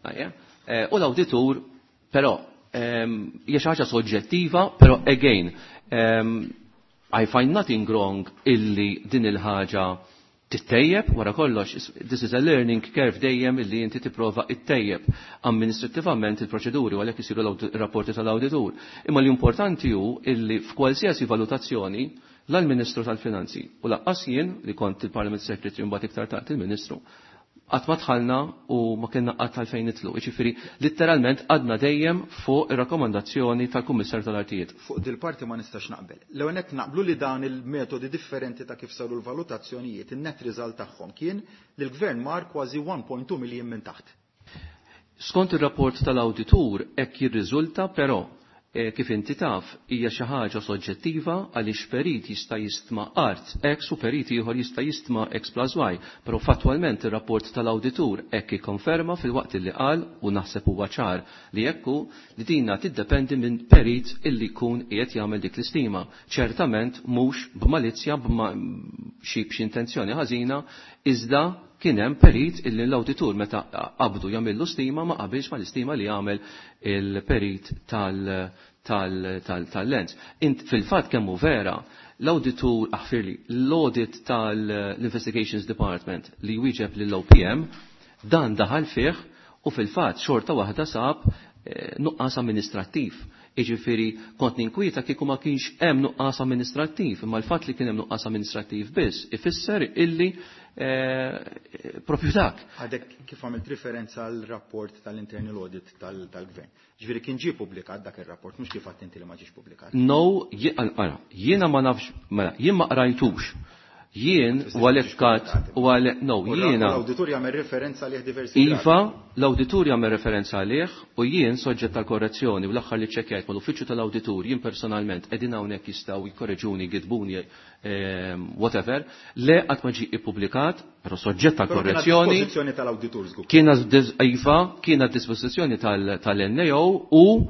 Ajja. Eh, u l-awditur, però, ehm, hija xi ħaġa soġġettiva, però again, ehm, I find nothing wrong illi din il-ħaġa tittejjeb, wara kollox, this is a learning curve dejjem illi inti tipprova ittejjeb amministrattivament il-proċeduri u għalhekk isiru l-rapporti tal-awditur. Imma l-importanti hu illi f'kwalsiasi valutazzjoni l-Ministru tal-Finanzi u laqqas jien li kont il-Parliament Secretary mbagħad iktar tard il-Ministru, qatt ma dħalna u ma kienna qatt għalfejn nitlu. Jiġifieri litteralment għadna dejjem fuq ir-rakkomandazzjoni tal-Kummissarju tal-Artijiet. Fuq dil-parti ma nistax naqbel. L-ewwel nett naqblu li dan il-metodi differenti ta' kif saru l-valutazzjonijiet, in-net result tagħhom kien li l-gvern mar kważi one point two million minn taħt. Skont ir-rapport tal-awditur hekk jirriżulta, però eh, kif inti taf hija xi ħaġa soġġettiva għaliex perit jista' jistma art X u perit ieħor jista' jistma X plus Y, però fattwalment ir-rapport tal-awditur hekk ikkonferma fil-waqt li qal u naħseb huwa ċar li hekk hu li dina tiddependi minn perit illi jkun qiegħed jagħmel dik l-istima. Ċertament mhux b'malizzja b'ma-, xi b'xi intenzjoni ħażina, iżda kien hemm perit illi l-awditur meta qabdu jagħmillu stima ma qabilx mal-istima li jagħmel il-perit tal-, tal-, tal-, tal-lens. Int fil-fatt kemm hu vera l-awditur, aħfirli, l-audit tal-Investigations Department li wieġeb lill-O P M dan daħal fih u fil-fatt xorta waħda sab, eh, nuqqas amministrattiv. Jiġifieri kont ninkwieta kieku ma kienx hemm nuqqas amministrattiv, imma l-fatt li kien hemm nuqqas amministrattiv biss ifisser illi, eh, propju dak. Għadek kif għamilt referenza għal rapport tal-internal audit tal-, tal-gvern. Ġifieri kien ġie publikat dak ir-rapport, mhux kif għadt inti li ma ġiex publikat. No, je-, ara, jiena ma nafx, mela, jien ma qrajtux. Jien Tista' u għalhekk tiġi kat, publikat. u għalhekk, no, U l-, jiena l-awditur jagħmel referenza għalih diversi Iva, drabi. l-awditur jagħmel referenza għalih u jien soġġett tal-korrezzjoni u l-aħħar li ċekkjajt mal-uffiċċju tal-awditur jien personalment qegħdin hawnhekk jistgħu jkorreġuni, jgidbuni, ehm, whatever, le qatt ma ġie ippubblikat, però soġġett Però kien tal-korrezzjoni. għad dispożizzjoni tal-awditur żgur. Kien għad dis-, iva, kien għad dispożizzjoni tal-, tal-N A O u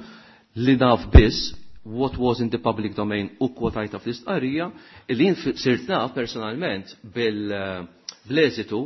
li naf biss what was in the public domain u kwotajta fl-istqarrija, li jien fi-, sirt naf personalment bil-, bl-eżitu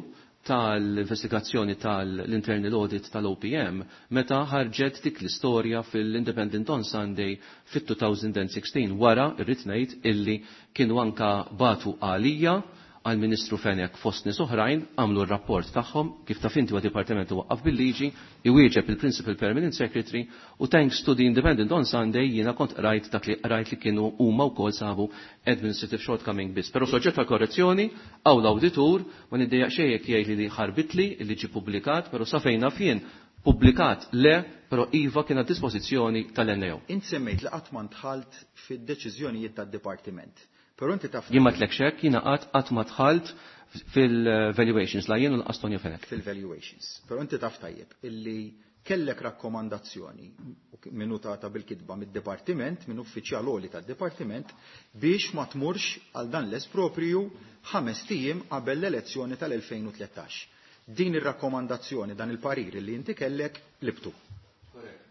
tal-investigazzjoni tal-internal audit tal-O P M meta ħarġet dik l-istorja fil-Independent on Sunday fit-two thousand and sixteen wara irrid ngħid illi kienu anka batu għalija għal-Ministru Fenech fost nies oħrajn għamlu r-rapport tagħhom kif taf inti huwa dipartiment waqqaf bil-liġi iwieġeb il-Principal Permanent Secretary u thanks to the Independent on Sunday jiena kont qrajt dak li qrajt li kienu huma wkoll sabu administrative shortcoming biss. Però soġġett għal korrezzjoni għaw l-awditur ma niddejjaq xejn jekk jgħid li ħarbitli li ġie pubblikat, però sa fejn naf jien pubblikat le, però iva kien għad dispożizzjoni tal-N A O. Int semmejt li qatt ma ndħalt fid-deċiżjonijiet tad-dipartiment. Però inti taf Jien ma tlek xek, jiena qatt qatt ma dħalt fil-valuations, la jien u lanqas Tonio Fenech. Fil-valuations. Però inti taf tajjeb illi Kellek rakkomandazzjoni minutata bil-kitba mid-dipartiment, minn uffiċjal għoli tad-dipartiment, biex ma tmurx għal dan l-espropriju ħames ijiem qabel l-elezzjoni tal-elfejn u tlettax. Din ir-rakkomandazzjoni, dan il-parir li inti kellek, libtu.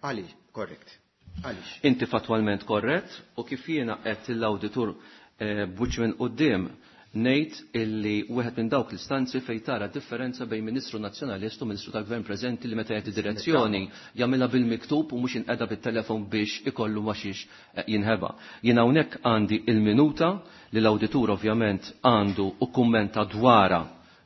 Għaliex, korrekt. Għaliex? Inti fatwalment korrett u kif jiena qed l-awditur eh, b'wiċċ minn quddiem ngħid illi wieħed minn dawk l-istanzi fejn tara differenza bejn Ministru Nazzjonalist u Ministru tal-Gvern preżenti li meta jagħti direzzjoni jagħmilha bil-miktub u mhux inqeda bit-telefon biex ikollu ma xiex jinħeba. Jien hawnhekk għandi il-minuta li l-awditur ovvjament għandu u kummenta dwarha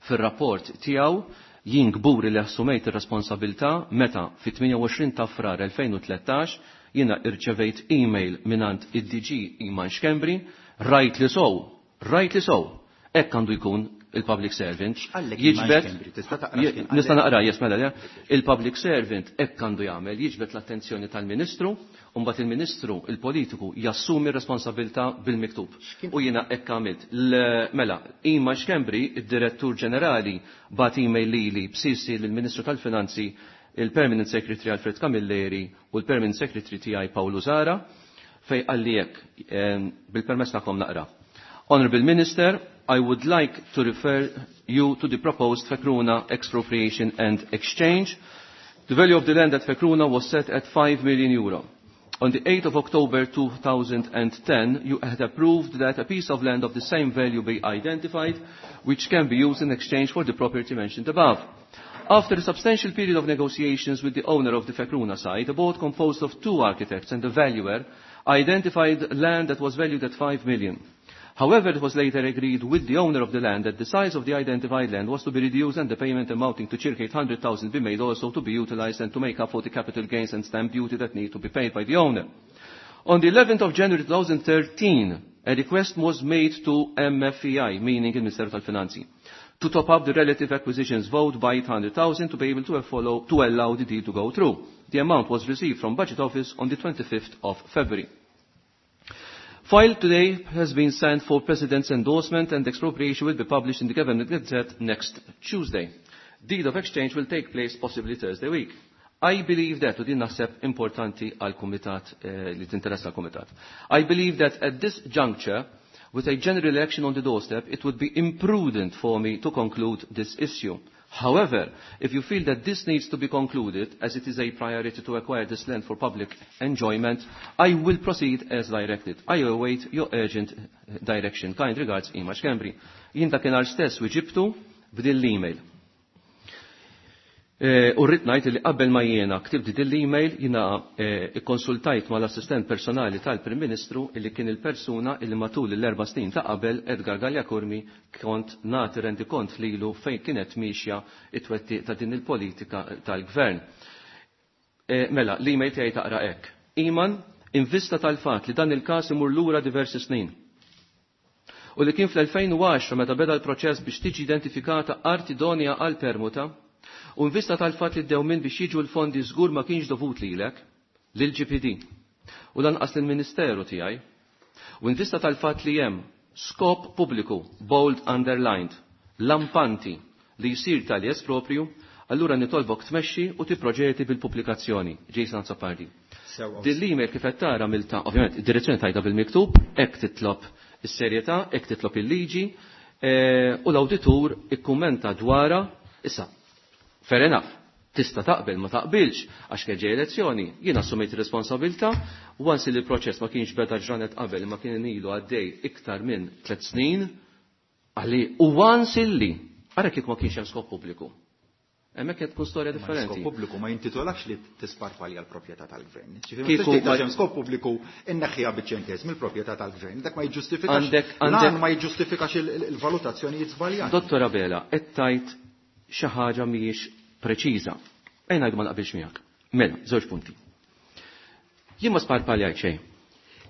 fir-rapport tiegħu. Jien kburi li assumejt ir-responsabilità meta fit-tmienja u għoxrin ta' Frar elfejn u tlettax jiena irċevejt email minant id-D G Iman Schembri, rajt li sow, rajt li sow, hekk għandu jkun il-public servant. X'qallek Jiġbed Iman Schembri? Tista' taqra x'kien qallek? Nista' naqra, yes, mela, le. Il-public servant hekk għandu jagħmel, jiġbed l-attenzjoni tal-Ministru, u mbagħad il-Ministru, il-politiku, jassumi r-responsabilità bil-miktub. X'kien U jiena hekk għamilt. L-, mela, Iman Schembri, id-Direttur Ġenerali, bat email lili b'sisi lill-Ministru tal-Finanzi, il-Permanent Secretary Alfred Camilleri u l-Permanent Secretary tiegħi Paolo Zara, fej qalli hekk, ehm, bil-permess tagħkom naqra. Honorable Minister, I would like to refer you to the proposed Fekruna expropriation and exchange. The value of the land at Fekruna was set at five million euro. On the eighth of October two thousand and ten, you had approved that a piece of land of the same value be identified, which can be used in exchange for the property mentioned above. After a substantial period of negotiations with the owner of the Fekruna site, a board composed of two architects and a valuer identified land that was valued at five million. However, it was later agreed with the owner of the land that the size of the identified land was to be reduced and the payment amounting to circa eight hundred thousand be made also to be utilized and to make up for the capital gains and stamp duty that need to be paid by the owner. On the eleventh of January two thousand thirteen, a request was made to M F E I, meaning il Ministeru tal-Finanzi, to top up the relative acquisitions vote by eight hundred thousand to be able to follow, to allow the deal to go through. The amount was received from Budget Office on the twenty-fifth of February. File today has been sent for President's endorsement and expropriation will be published in the Government Gazette next Tuesday. Deed of exchange will take place possibly Thursday week. I believe that, u din naħseb importanti għal-Kumitat, eh, li tinteressa għal-Kumitat. I believe that at this juncture, with a general election on the doorstep, it would be imprudent for me to conclude this issue. However, if you feel that this needs to be concluded, as it is a priority to acquire this land for public enjoyment, I will proceed as directed. I await your urgent direction. Kind regards, Iman Schembri. Jien dakinhar stess wieġibtu b'din l-email. Eh, u rrid ngħid li qabel ma jiena ktibt din l-email jiena, eh, ikkonsultajt mal-assistent personali tal-Prim Ministru illi kien il-persuna illi matul l-erba' snin ta' qabel Edgar Galea Curmi kont nagħti rendikont lilu fejn kienet miexja it-twettiq ta' din il-politika tal-gvern. Eh, mela, l-email tiegħi taqra hekk. Iman, in vista tal-fatt li dan il-każ imur lura diversi snin. U li kien fl-elfejn u għaxra meta beda l-proċess biex tiġi identifikata art idonea għal permuta, u in vista tal-fatt li d-dewmien biex jiġu l-fondi żgur ma kienx dovut lilek, lil G P D, u lanqas lill-Ministeru tiegħi, u in vista tal-fatt li hemm skop pubbliku, bold underlined, lampanti li jsir tal-jes proprju, allura nitolbok tmexxi u tipproġeti bil-pubblikazzjoni. Jason Azzopardi. Sewa. Din l-email kif qed tara milta, ovvjament, id-direzzjoni tajta bil-miktub, hekk titlob is-serjetà, hekk titlob il-liġi, eh, u l-awditur ikkummenta dwarha, issa, fair enough, tista' taqbel ma taqbilx, għax kien ġej elezzjoni, jien assumejt ir-responsabilità, once li l-proċess ma kienx beda ġranet qabel, ma kien ilu għaddej iktar minn tliet snin, għalli u once illi, ara kif ma kienx hemm skop pubbliku. Hemmhekk qed tkun storja Ma differenti. Skop pubbliku ma jintitolakx li tisparpalja l-proprjetà tal-gvern. Ġifieri ma Kieku tistax tgħid ma għax hemm skop pubbliku inneħħiha biċ-ċentesmi l-proprjetà tal-gvern. Dak ma jiġġustifikax. Għandek, Lan għandek ma jiġġustifikax il-, il-, il-valutazzjonijiet żbaljati. Dottor Abela, qed tgħid xi ħaġa mhijiex preċiża. Ejn ngħidu ma naqbilx miegħek. Mela, żewġ punti. Jien ma sparpaljajt xejn.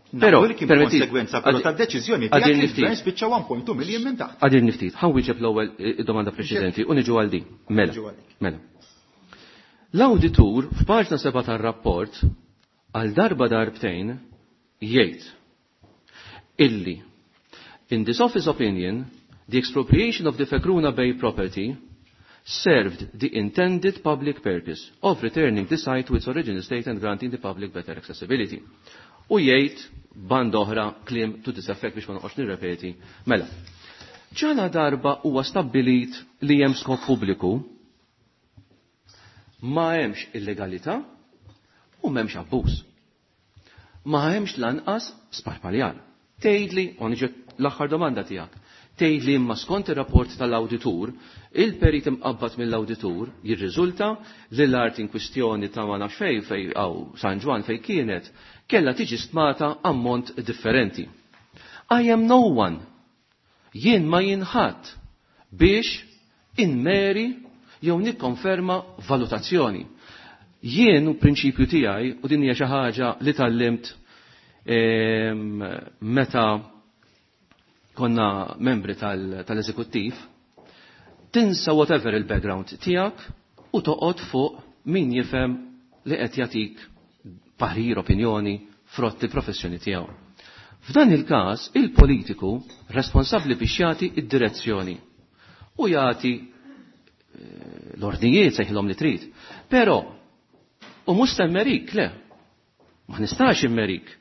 Nafu Però, li kien permetti, konsegwenza, però għad- tad-deċiżjoni għadir tiegħek li niftit. l-gvern spiċċa one point two million minn taħt. Għadir niftit. Ħa nwieġeb l-ewwel, eh, domanda preċedenti u niġu għal din. Mela, Niġu għal dik. mela. L-awditur f'paġna seba' tar-rapport għal darba darbtejn jgħid illi in this office opinion the expropriation of the Fekruna Bay property served the intended public purpose of returning the site to its original state and granting the public better accessibility. U jgħid band oħra kliem to this effect biex ma noqgħodx nirrepeti. Mela, ġala darba huwa stabbilit li hemm skop pubbliku, ma hemmx illegalità u m'hemmx abbuż. Ma hemmx lanqas sparpaljar. Tgħidli, u niġi l-aħħar domanda tiegħek, tgħidli imma skont ir-rapport tal-awditur, il-perit imqabbad mill-awditur jirriżulta li l-art in kwistjoni ta' ma nafx fejn fej aw San Ġwann fejn kienet kellha tiġi stmata ammont differenti. I am no one. Jien ma jinħadd biex inmeri jew nikkonferma valutazzjoni. Jien u prinċipju tiegħi u din hija xi ħaġa li tallimt meta konna membri tal-eżekuttiv, tinsa whatever il-background tiegħek u toqgħod fuq min jifhem li qed jagħtik parir, opinjoni, frott il-professjoni tiegħu. F'dan il-każ, il-politiku responsabbli biex jagħti id-direzzjoni u jagħti l-ordnijiet sejħilhom li trid. Però u mhux temmerik, le, ma nistax immerik.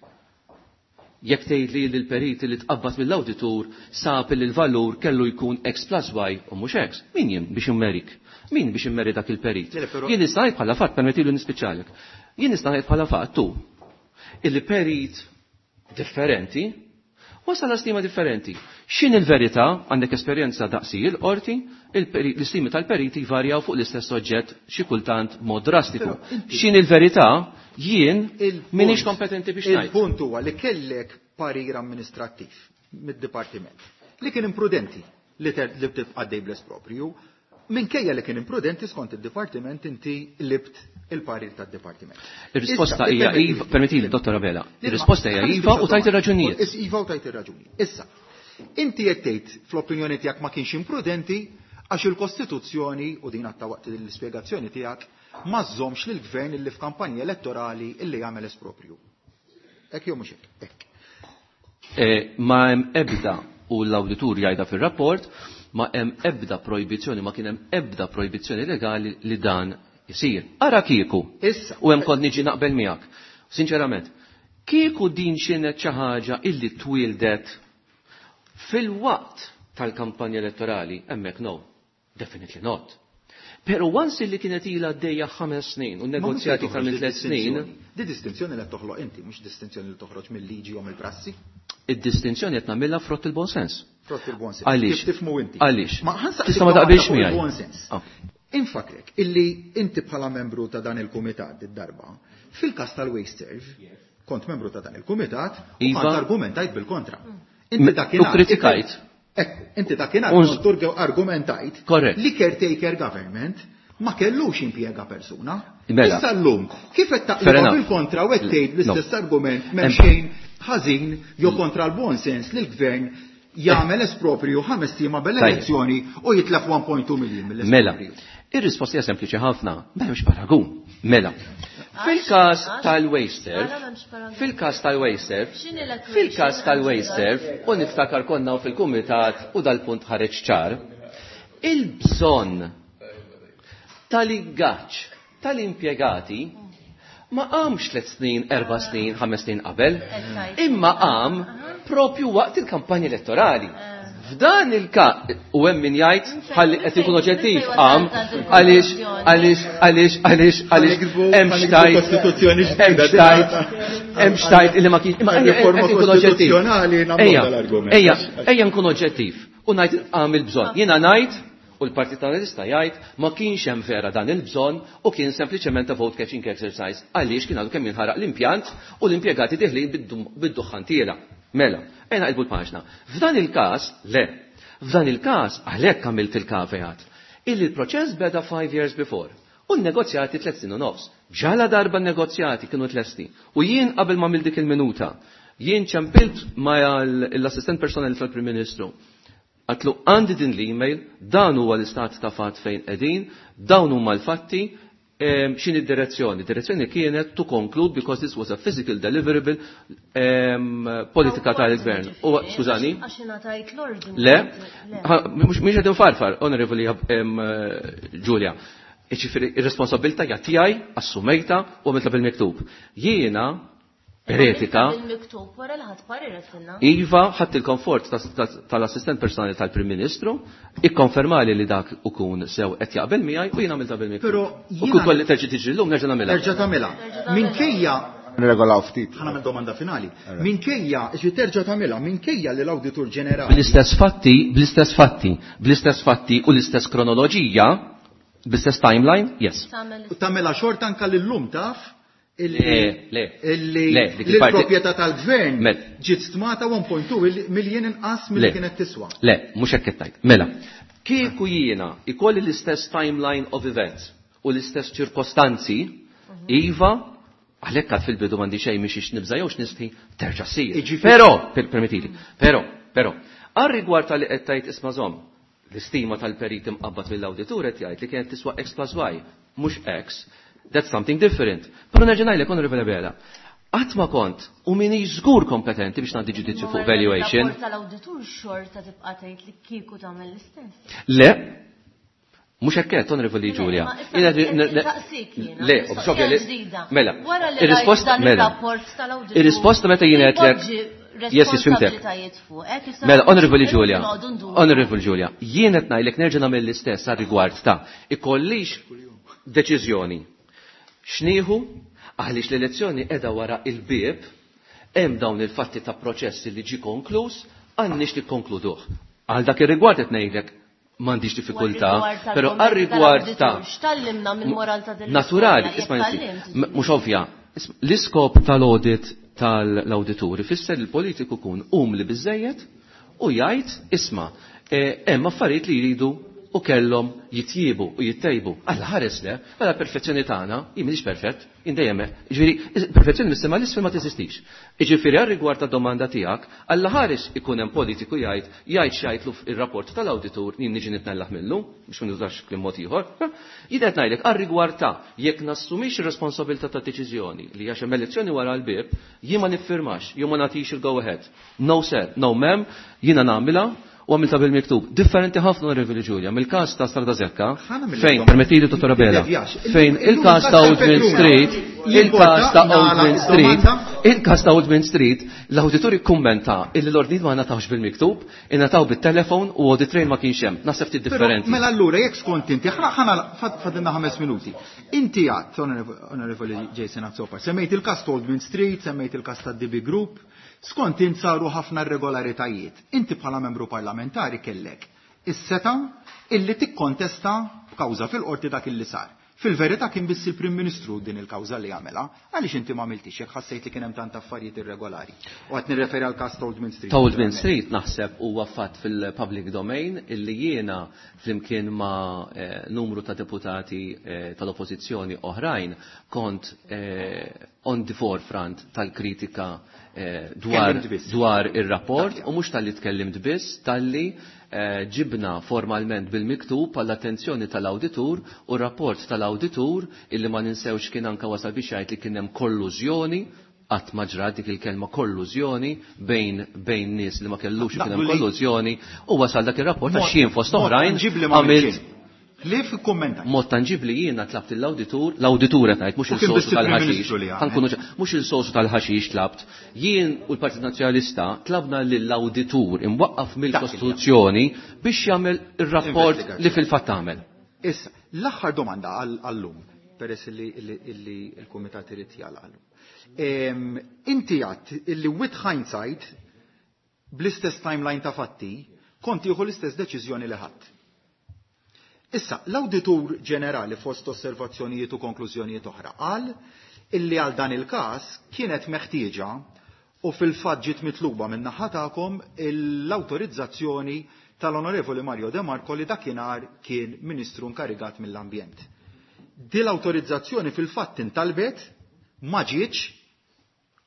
Jekk tgħid li l-perit li tqabbad mill-awditur sab li l-valur kellu jkun X plus Y u mhux X, min jien biex immerik? Min biex immeri dak il-perit? Jien nista' ngħid bħala fatt, permettilu nispiċċalek. Jien nista' ngħid bħala fatt tu illi perit differenti wasal stima differenti. X'in il-verità, għandek esperjenza daqsi il-qorti, l-istimi tal-periti varjaw fuq l-istess oġġett xi kultant mod drastiku. X'in il-verità, jien m'iniex kompetenti biex ngħid. Il-punt huwa li kellek parir amministrattiv mid-dipartiment li kien imprudenti li tibqa' dej bl-esproprju, minkejja li kien imprudenti skont id-dipartiment inti libt il-parir tad-dipartiment. Ir-risposta hija iva, permettili, Dottor Abela. Ir-risposta hija iva u tajt ir-raġunijiet. Iva u tajt ir-raġuni. Issa, inti qed tgħid fl-opinjoni tiegħek ma kienx imprudenti għax il-Kostituzzjoni u din għatta waqt l-ispjegazzjoni tiegħek ma żżommx lill-gvern illi f'kampanja elettorali illi jagħmel esproprju. Hekk jew mhux hekk? Hekk. Ma hemm ebda, u l-awditur jgħidha fir-rapport, ma hemm ebda projbizzjoni, ma kien hemm ebda projbizzjoni legali li dan isir. Ara kieku. Issa. U hemm kont niġi naqbel miegħek. Sinċerament, kieku din xienet xi ħaġa illi twildet fil-waqt tal-kampanja elettorali, hemmhekk no, definitely not. Pero once illi kienet ilha għaddejja ħames snin u negozjati ta' minn tliet snin. Di distinzjoni li toħloq inti, mhux distinzjoni li toħroġ mill-liġi jew mill-prassi. Id-distinzjoni qed nagħmilha frott il-bon sens. Frott il-bon sens. Għaliex? Kif tifhmu inti? Għaliex? Ma ħansaqsik Tista' ma taqbilx fuq miegħi. il-bon sens. Infakrek illi inti bħala membru ta' dan il-kumitat id-darba, fil-każ tal-WasteServ, kont membru ta' dan il-kumitat u Iva. kont argumentajt bil-kontra. Inti dakinhar U kritikajt. Ekku, inti dakinhar Unż- kont argumentajt Korrett. li caretaker government ma kellux impjega persuna. Mela. Issa llum, kif qed Fair taqlibha enough. bil-kontra u qed tgħid l-istess No. argument m'hemm Em- xejn ħażin jew kontra l-bon sens li l-gvern jagħmel esproprju ħames ijiem qabel l-elezzjoni u jitlef one point two million mill-esproprju. Mela, ir-risposta hija sempliċi ħafna, m'hemmx paragun. Mela, fil-każ tal-WasteServ, fil-każ tal-WasteServ, fil-każ tal-WasteServ, u niftakar konna fil-kumitat u dal-punt ħareġ ċar, il-bżonn tal-ingaġġ tal-impjegati ma qamx tliet snin, erba' snin, ħames snin qabel, imma qam propju waqt il-kampanja elettorali. F'dan il-każ, u hemm min jgħid ħalli qed ikun oġġettiv qam għaliex għaliex għaliex għaliex għaliex hemm xtajt hemm xtajt hemm xtajt illi ma kienx imma ejja, Riforma qed ikun oġġettiv. kostituzzjonali nagħmlu Ejja, dal-argument. ejja, ejja nkun oġġettiv u ngħid qam il-bżonn. Jiena ngħid u l-Partit Nazzjonalista jgħid ma kienx hemm vera dan il-bżonn u kien sempliċement a vote catching exercise għaliex kien għadu kemm jinħaraq l-impjant u l-impjegati diħlin bid-duħħan tiela. Mela, ejna qilbu l-paġna. F'dan il-każ, le, f'dan il-każ għalhekk għamilt il-caveat illi l-proċess beda five years before u n-negozjati tliet snin u nofs. Ġala darba n-negozjati kienu tlesti. U jien qabel ma għamilt dik il-minuta, jien ċempilt ma l-assistent personali tal-Prim Ministru. Għatlu għandi din l-email, dan huwa l-istat ta' fatt fejn qegħdin, dawn huma l-fatti, X'inhi d-direzzjoni? Direzzjoni kienet to conclude because this was a physical deliverable politika tal-gvern. U skużani? Għax ingħatajt l-ordni. Le, mhux qed infarfar, Onorevoli Giulia. Jiġifieri ir-responsabilità hija tiegħi, assumejta u għamiltha bil-miktub. Jiena per etika. Bil-miktub wara li ħadd parir għedtilna. Iva, ħadd il-komfort tal-assistent personali tal-Prim Ministru, ikkonfermali li dak ukun sew qed jaqbel miegħi u jien għamiltha bil-miktub. Però U kieku kolli terġa' tiġri llum nerġa' nagħmilha. Terġa' tagħmilha. Minkejja Nirregolaw ftit. Ħa nagħmel domanda finali. Minkejja, ġi terġa' tagħmilha, minkejja li l-Awditur Ġenerali. Bl-istess fatti, bl-istess fatti, bl-istess fatti u l-istess kronoloġija, bl-istess timeline, yes. U tagħmilha xorta anke lillum taf illi Le, le. illi Le, dik il-parti- l-proprjetà tal-gvern Mela. ġiet stmata one point two miljun inqas milli Le. kienet tiswa. Le, mhux hekk qed tgħid. Mela, kieku jiena ikolli l-istess timeline of events u l-istess ċirkostanzi, iva, għalhekk għad fil-bidu m'għandi xejn mhix nibża' jew x'nistħi terġa' ssir. Jiġifieri- Però, per-, permettili, però, però, għal rigward tal-li qed tgħid isma' żomm, l-istima tal-perit imqabbad mill-awditur qed jgħid li kienet tiswa X plus Y, mhux X. That's something different. Però nerġa' ngħidlek, Onorevole Bela, qatt ma kont u minix żgur kompetenti biex ngħaddi ġudizzju fuq valuation. Rapport tal-awditur xorta tibqa' tgħid li kieku tagħmel l-istess. Le, mhux hekk qed, Onorevoli Le, Giulia. ma issa Jiena qed ne- ne- nistaqsik jiena, Le, mistoqsija ovvja li- ġdida. Mela, Wara li ir-risposta rajt dan mela. ir-rapport tal-awditur, Ir-risposta meta jien qedlek ipoġġi Yes, yes, fimtek. responsabilitajiet fuqek, issa Mela, Onorevoli irridu Giulia, noqogħdu nduru. Onorevoli Giulia, jien qed ngħidlek nerġa' nagħmel l-istess għal rigward ta' ikollix deċiżjoni. Xnieħu għaliex l-elezzjoni qiegħda wara il-bieb, hemm dawn il-fatti ta' proċess li ġi konkluż, għandniex li konkluduh. Għal dak ir-rigward qed ngħidlek m'għandix diffikultà, però għal rigward ta' X'tallimna mill-moral ta' din naturali, l-istorja, isma' jekk inti, tallimt, m-, mhux ovvja, isma', l-iskop tal-audit tal-awdituri fisser li l-politiku kun umli biżejjed u jgħid isma' eh, hemm affarijiet li jridu u kellhom jitjiebu u jittejbu. Alla ħares le, mela perfezzjoni tagħna, jien m'iniex perfett, jien dejjem hekk. Jiġifieri, perfezzjoni mis-sema l-isfel ma teżistix. Jiġifieri għal rigward ta' domanda tiegħek, Alla ħares ikun hemm politiku jgħid, jgħid x'jgħidlu ir-rapport tal-awditur, jien niġi nitnellaħ minnu, biex ma nużax kliem mod ieħor. Jien qed ngħidlek għal rigward ta' jekk nassumix ir-responsabilità ta' deċiżjoni li għax hemm elezzjoni wara l-bieb, jien ma niffirmax, jew ma nagħtix il-go ahead. No sir, no ma'am, jiena nagħmilha u għamilta bil-miktub. Differenti ħafna, Onorevoli Giulia, mill-każ ta' Strada Zekka, Ħana mill- fejn, permettili, Dottor Abela, Devjax. fejn Illum il-każ ta' il-każ Old Mint tal-Petruna. Street, il-każ ta' Jimporta Old Mint nagħlaq Street, domanda? il-każ ta' Old Mint Street, l-awditur ikkummenta illi l-ordnijiet ma ngħatawx bil-miktub, ingħataw bit-telefon u audit trail ma kienx hemm. Naħseb ftit Però, differenti. Mela allura, jekk skont inti, ħana ħana fad- fadilna ħames minuti. Inti għadt, Onorevoli Jason Azzopardi, semmejt il-każ ta' Old Mint Street, semmejt il-każ ta' D B Group, skont int saru ħafna irregolaritajiet. Inti bħala membru parlamentari kellek is-seta illi tikkontesta b'kawża fil-qorti dak illi sar. Fil-verità kien biss il-Prim Ministru din il-kawża li għamela, għaliex inti ma għamiltix jekk ħassejt li kien hemm tant affarijiet irregolari. U qed nirreferi għal każ ta' Old Mint Street. Ta' Old Mint Street naħseb huwa fatt fil-public domain illi jiena flimkien ma', eh, numru ta' deputati, eh, tal-oppożizzjoni oħrajn kont, eh, on the forefront tal-kritika, eh, dwar, Tkellimt biss. dwar ir-rapport u mhux talli tkellimt biss, talli, eh, ġibna formalment bil-miktub għall-attenzjoni tal-awditur u rapport tal-awditur illi ma ninsewx kien anka wasal biex jgħid li kien hemm kollużjoni, qatt ma ġrat dik il-kelma kollużjoni bejn, bejn nies li ma kellux ikun hemm Naqblu li kollużjoni u wasal dak ir-rapport għax Mod- jien fost mod oħrajn tanġibli ma għamilt għamilx. Li fil-kommentaj? Mod tanġibli jiena tlabt l-awditur, l-awditur qed ngħid, mhux U kien il-sosu biss il-Prim tal-ħaxix. Ministru li għamel. Ħankunu ċa-, mhux il-sosu tal-ħaxix tlabt. Jien u l-Partit Nazzjonalista tlabna lill-awditur imwaqqaf mill-Kostituzzjoni biex jagħmel ir-rapport li fil-fatt għamel. Issa, l-aħħar domanda għal-, għallum, peress li, li, li l-Kumitat irid jagħlaq għallum. Em, inti għadt illi with hindsight, bl-istess timeline ta' fatti, kont tieħu l-istess deċiżjoni li ħadd. Issa, l-Awditur Ġenerali fost osservazzjonijiet u konklużjonijiet oħra qal illi għal dan il-każ kienet meħtieġa u fil-fatt ġiet mitluba minn naħa tagħkom l-awtorizzazzjoni tal-Onorevoli Mario De Marco li dakinhar kien Ministru inkarigat mill-Ambjent. Din l-awtorizzazzjoni fil-fatt intalbet, ma ġietx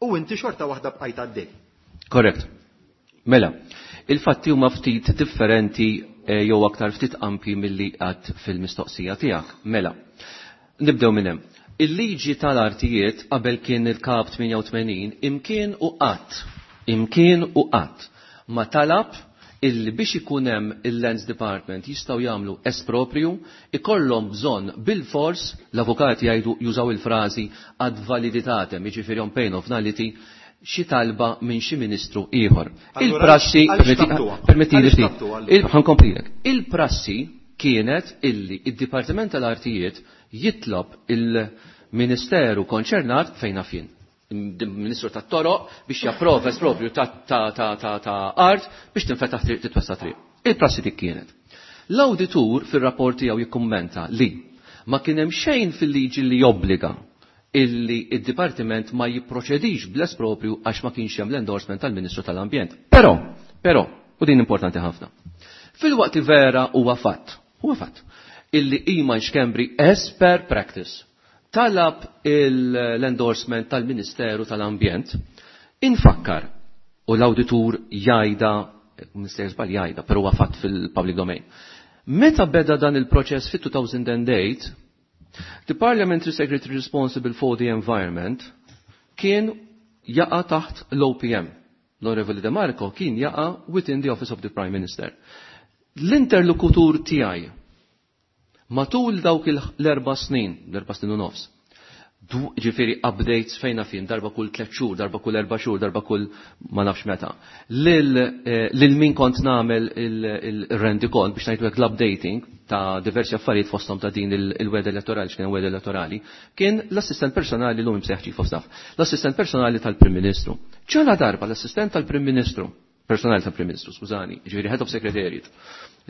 u inti xorta waħda bqajt għaddej. Korrekt. Mela, il-fatti huma ftit differenti, eh, jew aktar ftit ampi milli għad fil-mistoqsija tiegħek. Mela, Nibdew minn hemm. Il-liġi tal-artijiet qabel kien il-kap tmienja u tmenin imkien u qatt, imkien u qatt ma talab illi biex ikun hemm il-Lands Department jistgħu jagħmlu esproprju, ikollhom bżonn bil-fors, l-avukati jgħidu, jużaw il-frażi ad validitatem, jiġifieri on pain of nullity, xi talba minn xi ministru ieħor. Il-prassi, permetti li ftit, ħa nkomplilek. Il-prassi kienet illi id-Dipartiment tal-Artijiet jitlob il-Ministeru konċernat, fejn jien, Ministru tat-Toroq, biex japprova espropju ta' ta' art biex tinfetaħ triq, titwessa triq. Il-prassi dik kienet. L-awditur fir-rapport tiegħu jikkummenta li ma kien hemm xejn fil-liġi li jobbliga illi id-dipartiment ma jipproċedix bl-esproprju għax ma kienx hemm l-endorsement tal-Ministru tal-Ambjent. Però, però, u din importanti ħafna. Fil-waqt li vera huwa fatt, huwa fatt, illi Iman Schembri as per practice talab l-endorsement tal-Ministeru tal-Ambjent, infakkar, u l-awditur jgħidha, Ministeru żball jgħidha, però huwa fatt fil-public domain. Meta beda dan il-proċess fit-elfejn u tmienja, the Parliamentary Secretary responsible for the environment kien jaqa taħt l-O P M. L-Onorevoli De Marco kien jaqa within the Office of the Prime Minister. L-interlokutur tiegħi matul dawk l-erba' snin, l-erba' snin u nofs, ġifieri updates fejna fin, darba kull tliet xhur, darba kull erba' xhur, darba kull ma nafx meta. Lil eh, min kont nagħmel il-rendikont biex ngħidu l-updating ta' diversi affarijiet, fosthom ta' din il-wegħda elettorali, x'kien wegħda elettorali, kien l-assistent personali, l-lum imsejjaħ chief of staff, l-assistent personali tal-Prim Ministru. Ġala darba l-assistent tal-Prim Ministru, personali tal-Prim Ministru, skużani, ġifieri head of secretariat,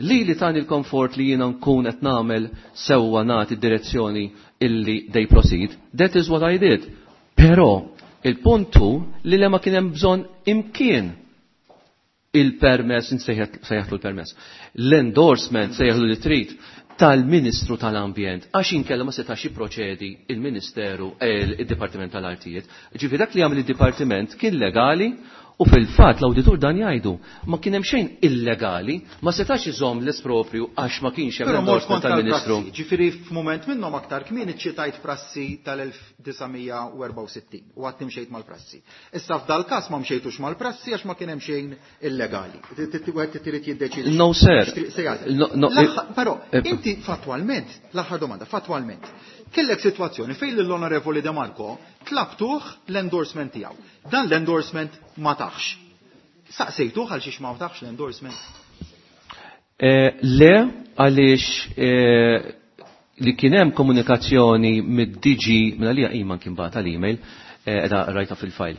li li tani l-komfort li jiena nkun qed nagħmel sewwa, nagħti direzzjoni illi they proceed, that is what I did. Però il-puntu li le ma kien hemm bżonn imkien il-permess, sejjaħlu l-permess, l-endorsement, sejjaħlu li trid, tal-Ministru tal-Ambjent, għax inkella ma setax jipproċedi il-Ministeru, eh, il-Dipartiment tal-Artijiet. Ġifieri dak li għamel il-Dipartiment kien legali u fil-fatt l-awditur dan jgħidu, ma kien hemm xejn illegali, ma setax iżomm l-esproprju għax ma kienx hemm endorsement tal-Ministru. Ġifieri f'mument minnhom aktar kmieni ċitajt prassi tal-elf disa' mija u erbgħa u sittin u għedt imxejt mal-prassi. Issa f'dal każ ma mxejtux mal-prassi għax ma kien hemm xejn illegali. Wieħed trid jiddeċidi. No, sir. Però eh, inti fatwalment, l-aħħar domanda, fatwalment, kellek situazzjoni fejn l-Onorevoli De Marco tlabtuh l-endorsement tiegħu. Dan l-endorsement ma tahx. Saqsejtuh għal xiex ma tahx l-endorsement? Eh, le, għaliex eh, li kien hemm komunikazzjoni mid-D G, minn għalija Iman kien bagħat l-email, eh, edha rajta fil-file,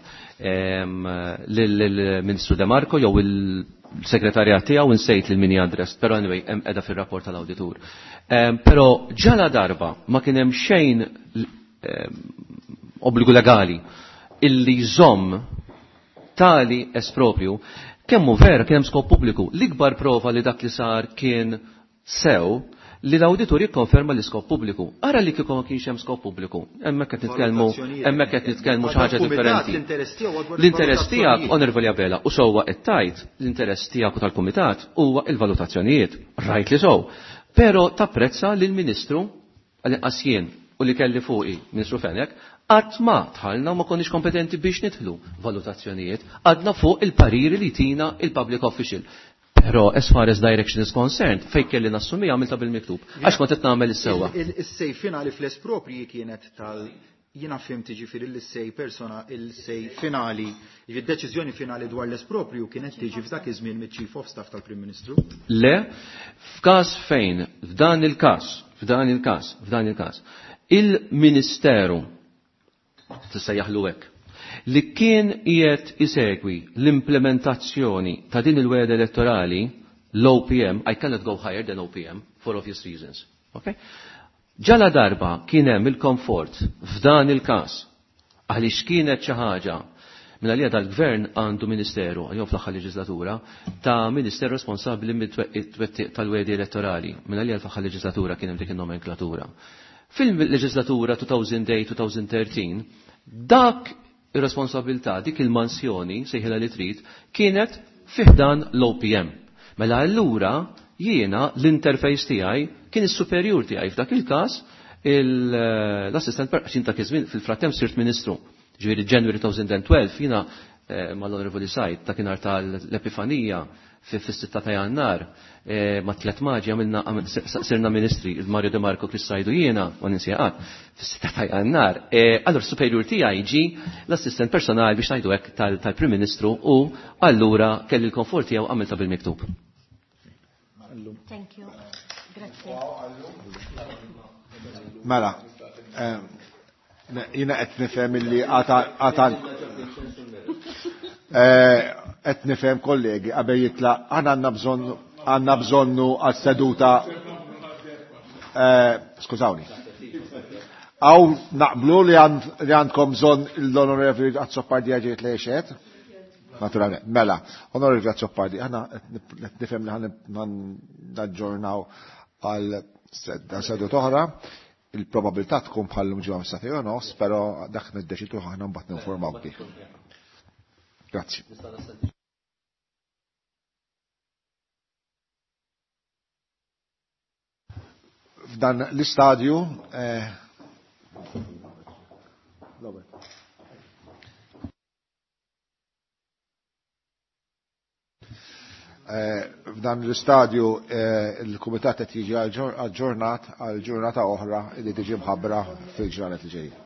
lill-Ministru De Marco jew il-segretarjat tiegħu, insejt lil min address, però anyway, hemm edha fir-rapport tal-awditur. Però ġala darba ma kien hemm xejn obbligu legali illi jżomm tali esproprju, kemmu vera kien hemm skop pubbliku. L-ikbar prova li dak li sar kien sew li l-awditur jikkonferma l-iskop pubbliku. Ara li kieku ma kienx hemm skop pubbliku. Hemmhekk qed nitkellmu hemmhekk qed nitkellmu xi ħaġa differenti. L-interess tiegħek, Onorevoli Abela, u sewwa qed tajt, l-interess tiegħek u tal-kumitat huwa il-valutazzjonijiet. Rajt li sow. Però tapprezza li l-Ministru, għal jien u li kelli fuqi, Ministru Fenech, qatt ma dħalna u ma konniex kompetenti biex nidħlu valutazzjonijiet, għadna fuq il-pariri li tina il-public official. Però as far as direction is concerned, fej kelli nassumi għamilta bil-miktub. Għax kont qed nagħmel is-sewwa. Is-say finali fl-esproprji kienet tal jiena fhimt ġifieri l-say persona il-say finali, ġifieri deċiżjoni finali dwar l-esproprju kienet tiġi f'dak iż-żmien miċ-Chief of Staff tal-Prim Ministru. Le, f'każ fejn, f'dan il-każ, f'dan il-każ, f'dan il-każ, il-Ministeru tista' jaħlu hekk li kien qiegħed isegwi l-implementazzjoni ta' din il-wegħda elettorali, l-O P M, I cannot go higher than O P M for obvious reasons. Okay? Ġala darba kien hemm il-komfort f'dan il-każ għaliex kienet xi ħaġa minn għalija dal-gvern għandu ministeru, jew fl-aħħar leġislatura, ta' ministeru responsabbli mit-twettiq tal-wegħdi elettorali. Minn għalija fl-aħħar leġislatura kien hemm dik in-nomenklatura. Fil-leġislatura elfejn u tmienja-elfejn u tlettax, dak ir-responsabilità, dik il-mansjoni, sejħilha li trid, kienet fi ħdan l-O P M. Mela allura jiena l-interface tiegħi kien is-superjur tiegħi f'dak il-każ L-assistent għax ta' żmien fil-frattemp sirt ministru. Ġifieri January twenty twelve jiena eh, mal-Onorevoli Said ta' kienar tal-Epifanija fis-sitta ta' Jannar eh, ma' tlet maġi għamilna sirna ministri, il-Mario De Marco, Chris Said u jiena, ma ninsieqat, fis-sitta ta' Jannar. Eh, allora superior tiegħi ġi l-assistent personali biex ngħidu hekk tal-Prim Ministru u allura kelli l-komfort tiegħu għamilta bil-miktub. Thank you. Grazie. Mela, jiena qed nifhem illi għata qed nifhem, kollegi, qabel jitlaq aħna għandna bżonn għandna bżonnu għas-seduta, skużawni. Għaw naqblu li għandkom bżonn l-Onorevoli Azzopardi ġiet li xed? Naturalment, mela, Onorevoli Azzopardi, aħna qed nifhem li ħa naġġornaw għal seduta oħra, il-probabilità tkun bħal ġimgħa mis nofs, però dak niddeċidu aħna, mbagħad ninformaw bih. Grazzi. F'dan l-istadju eh, eh, F'dan l-istadju eh, il-Kumitat qed jiġi aġġornat għal ġurnata oħra li tiġi mħabbra fil-ġranet li ġejjin.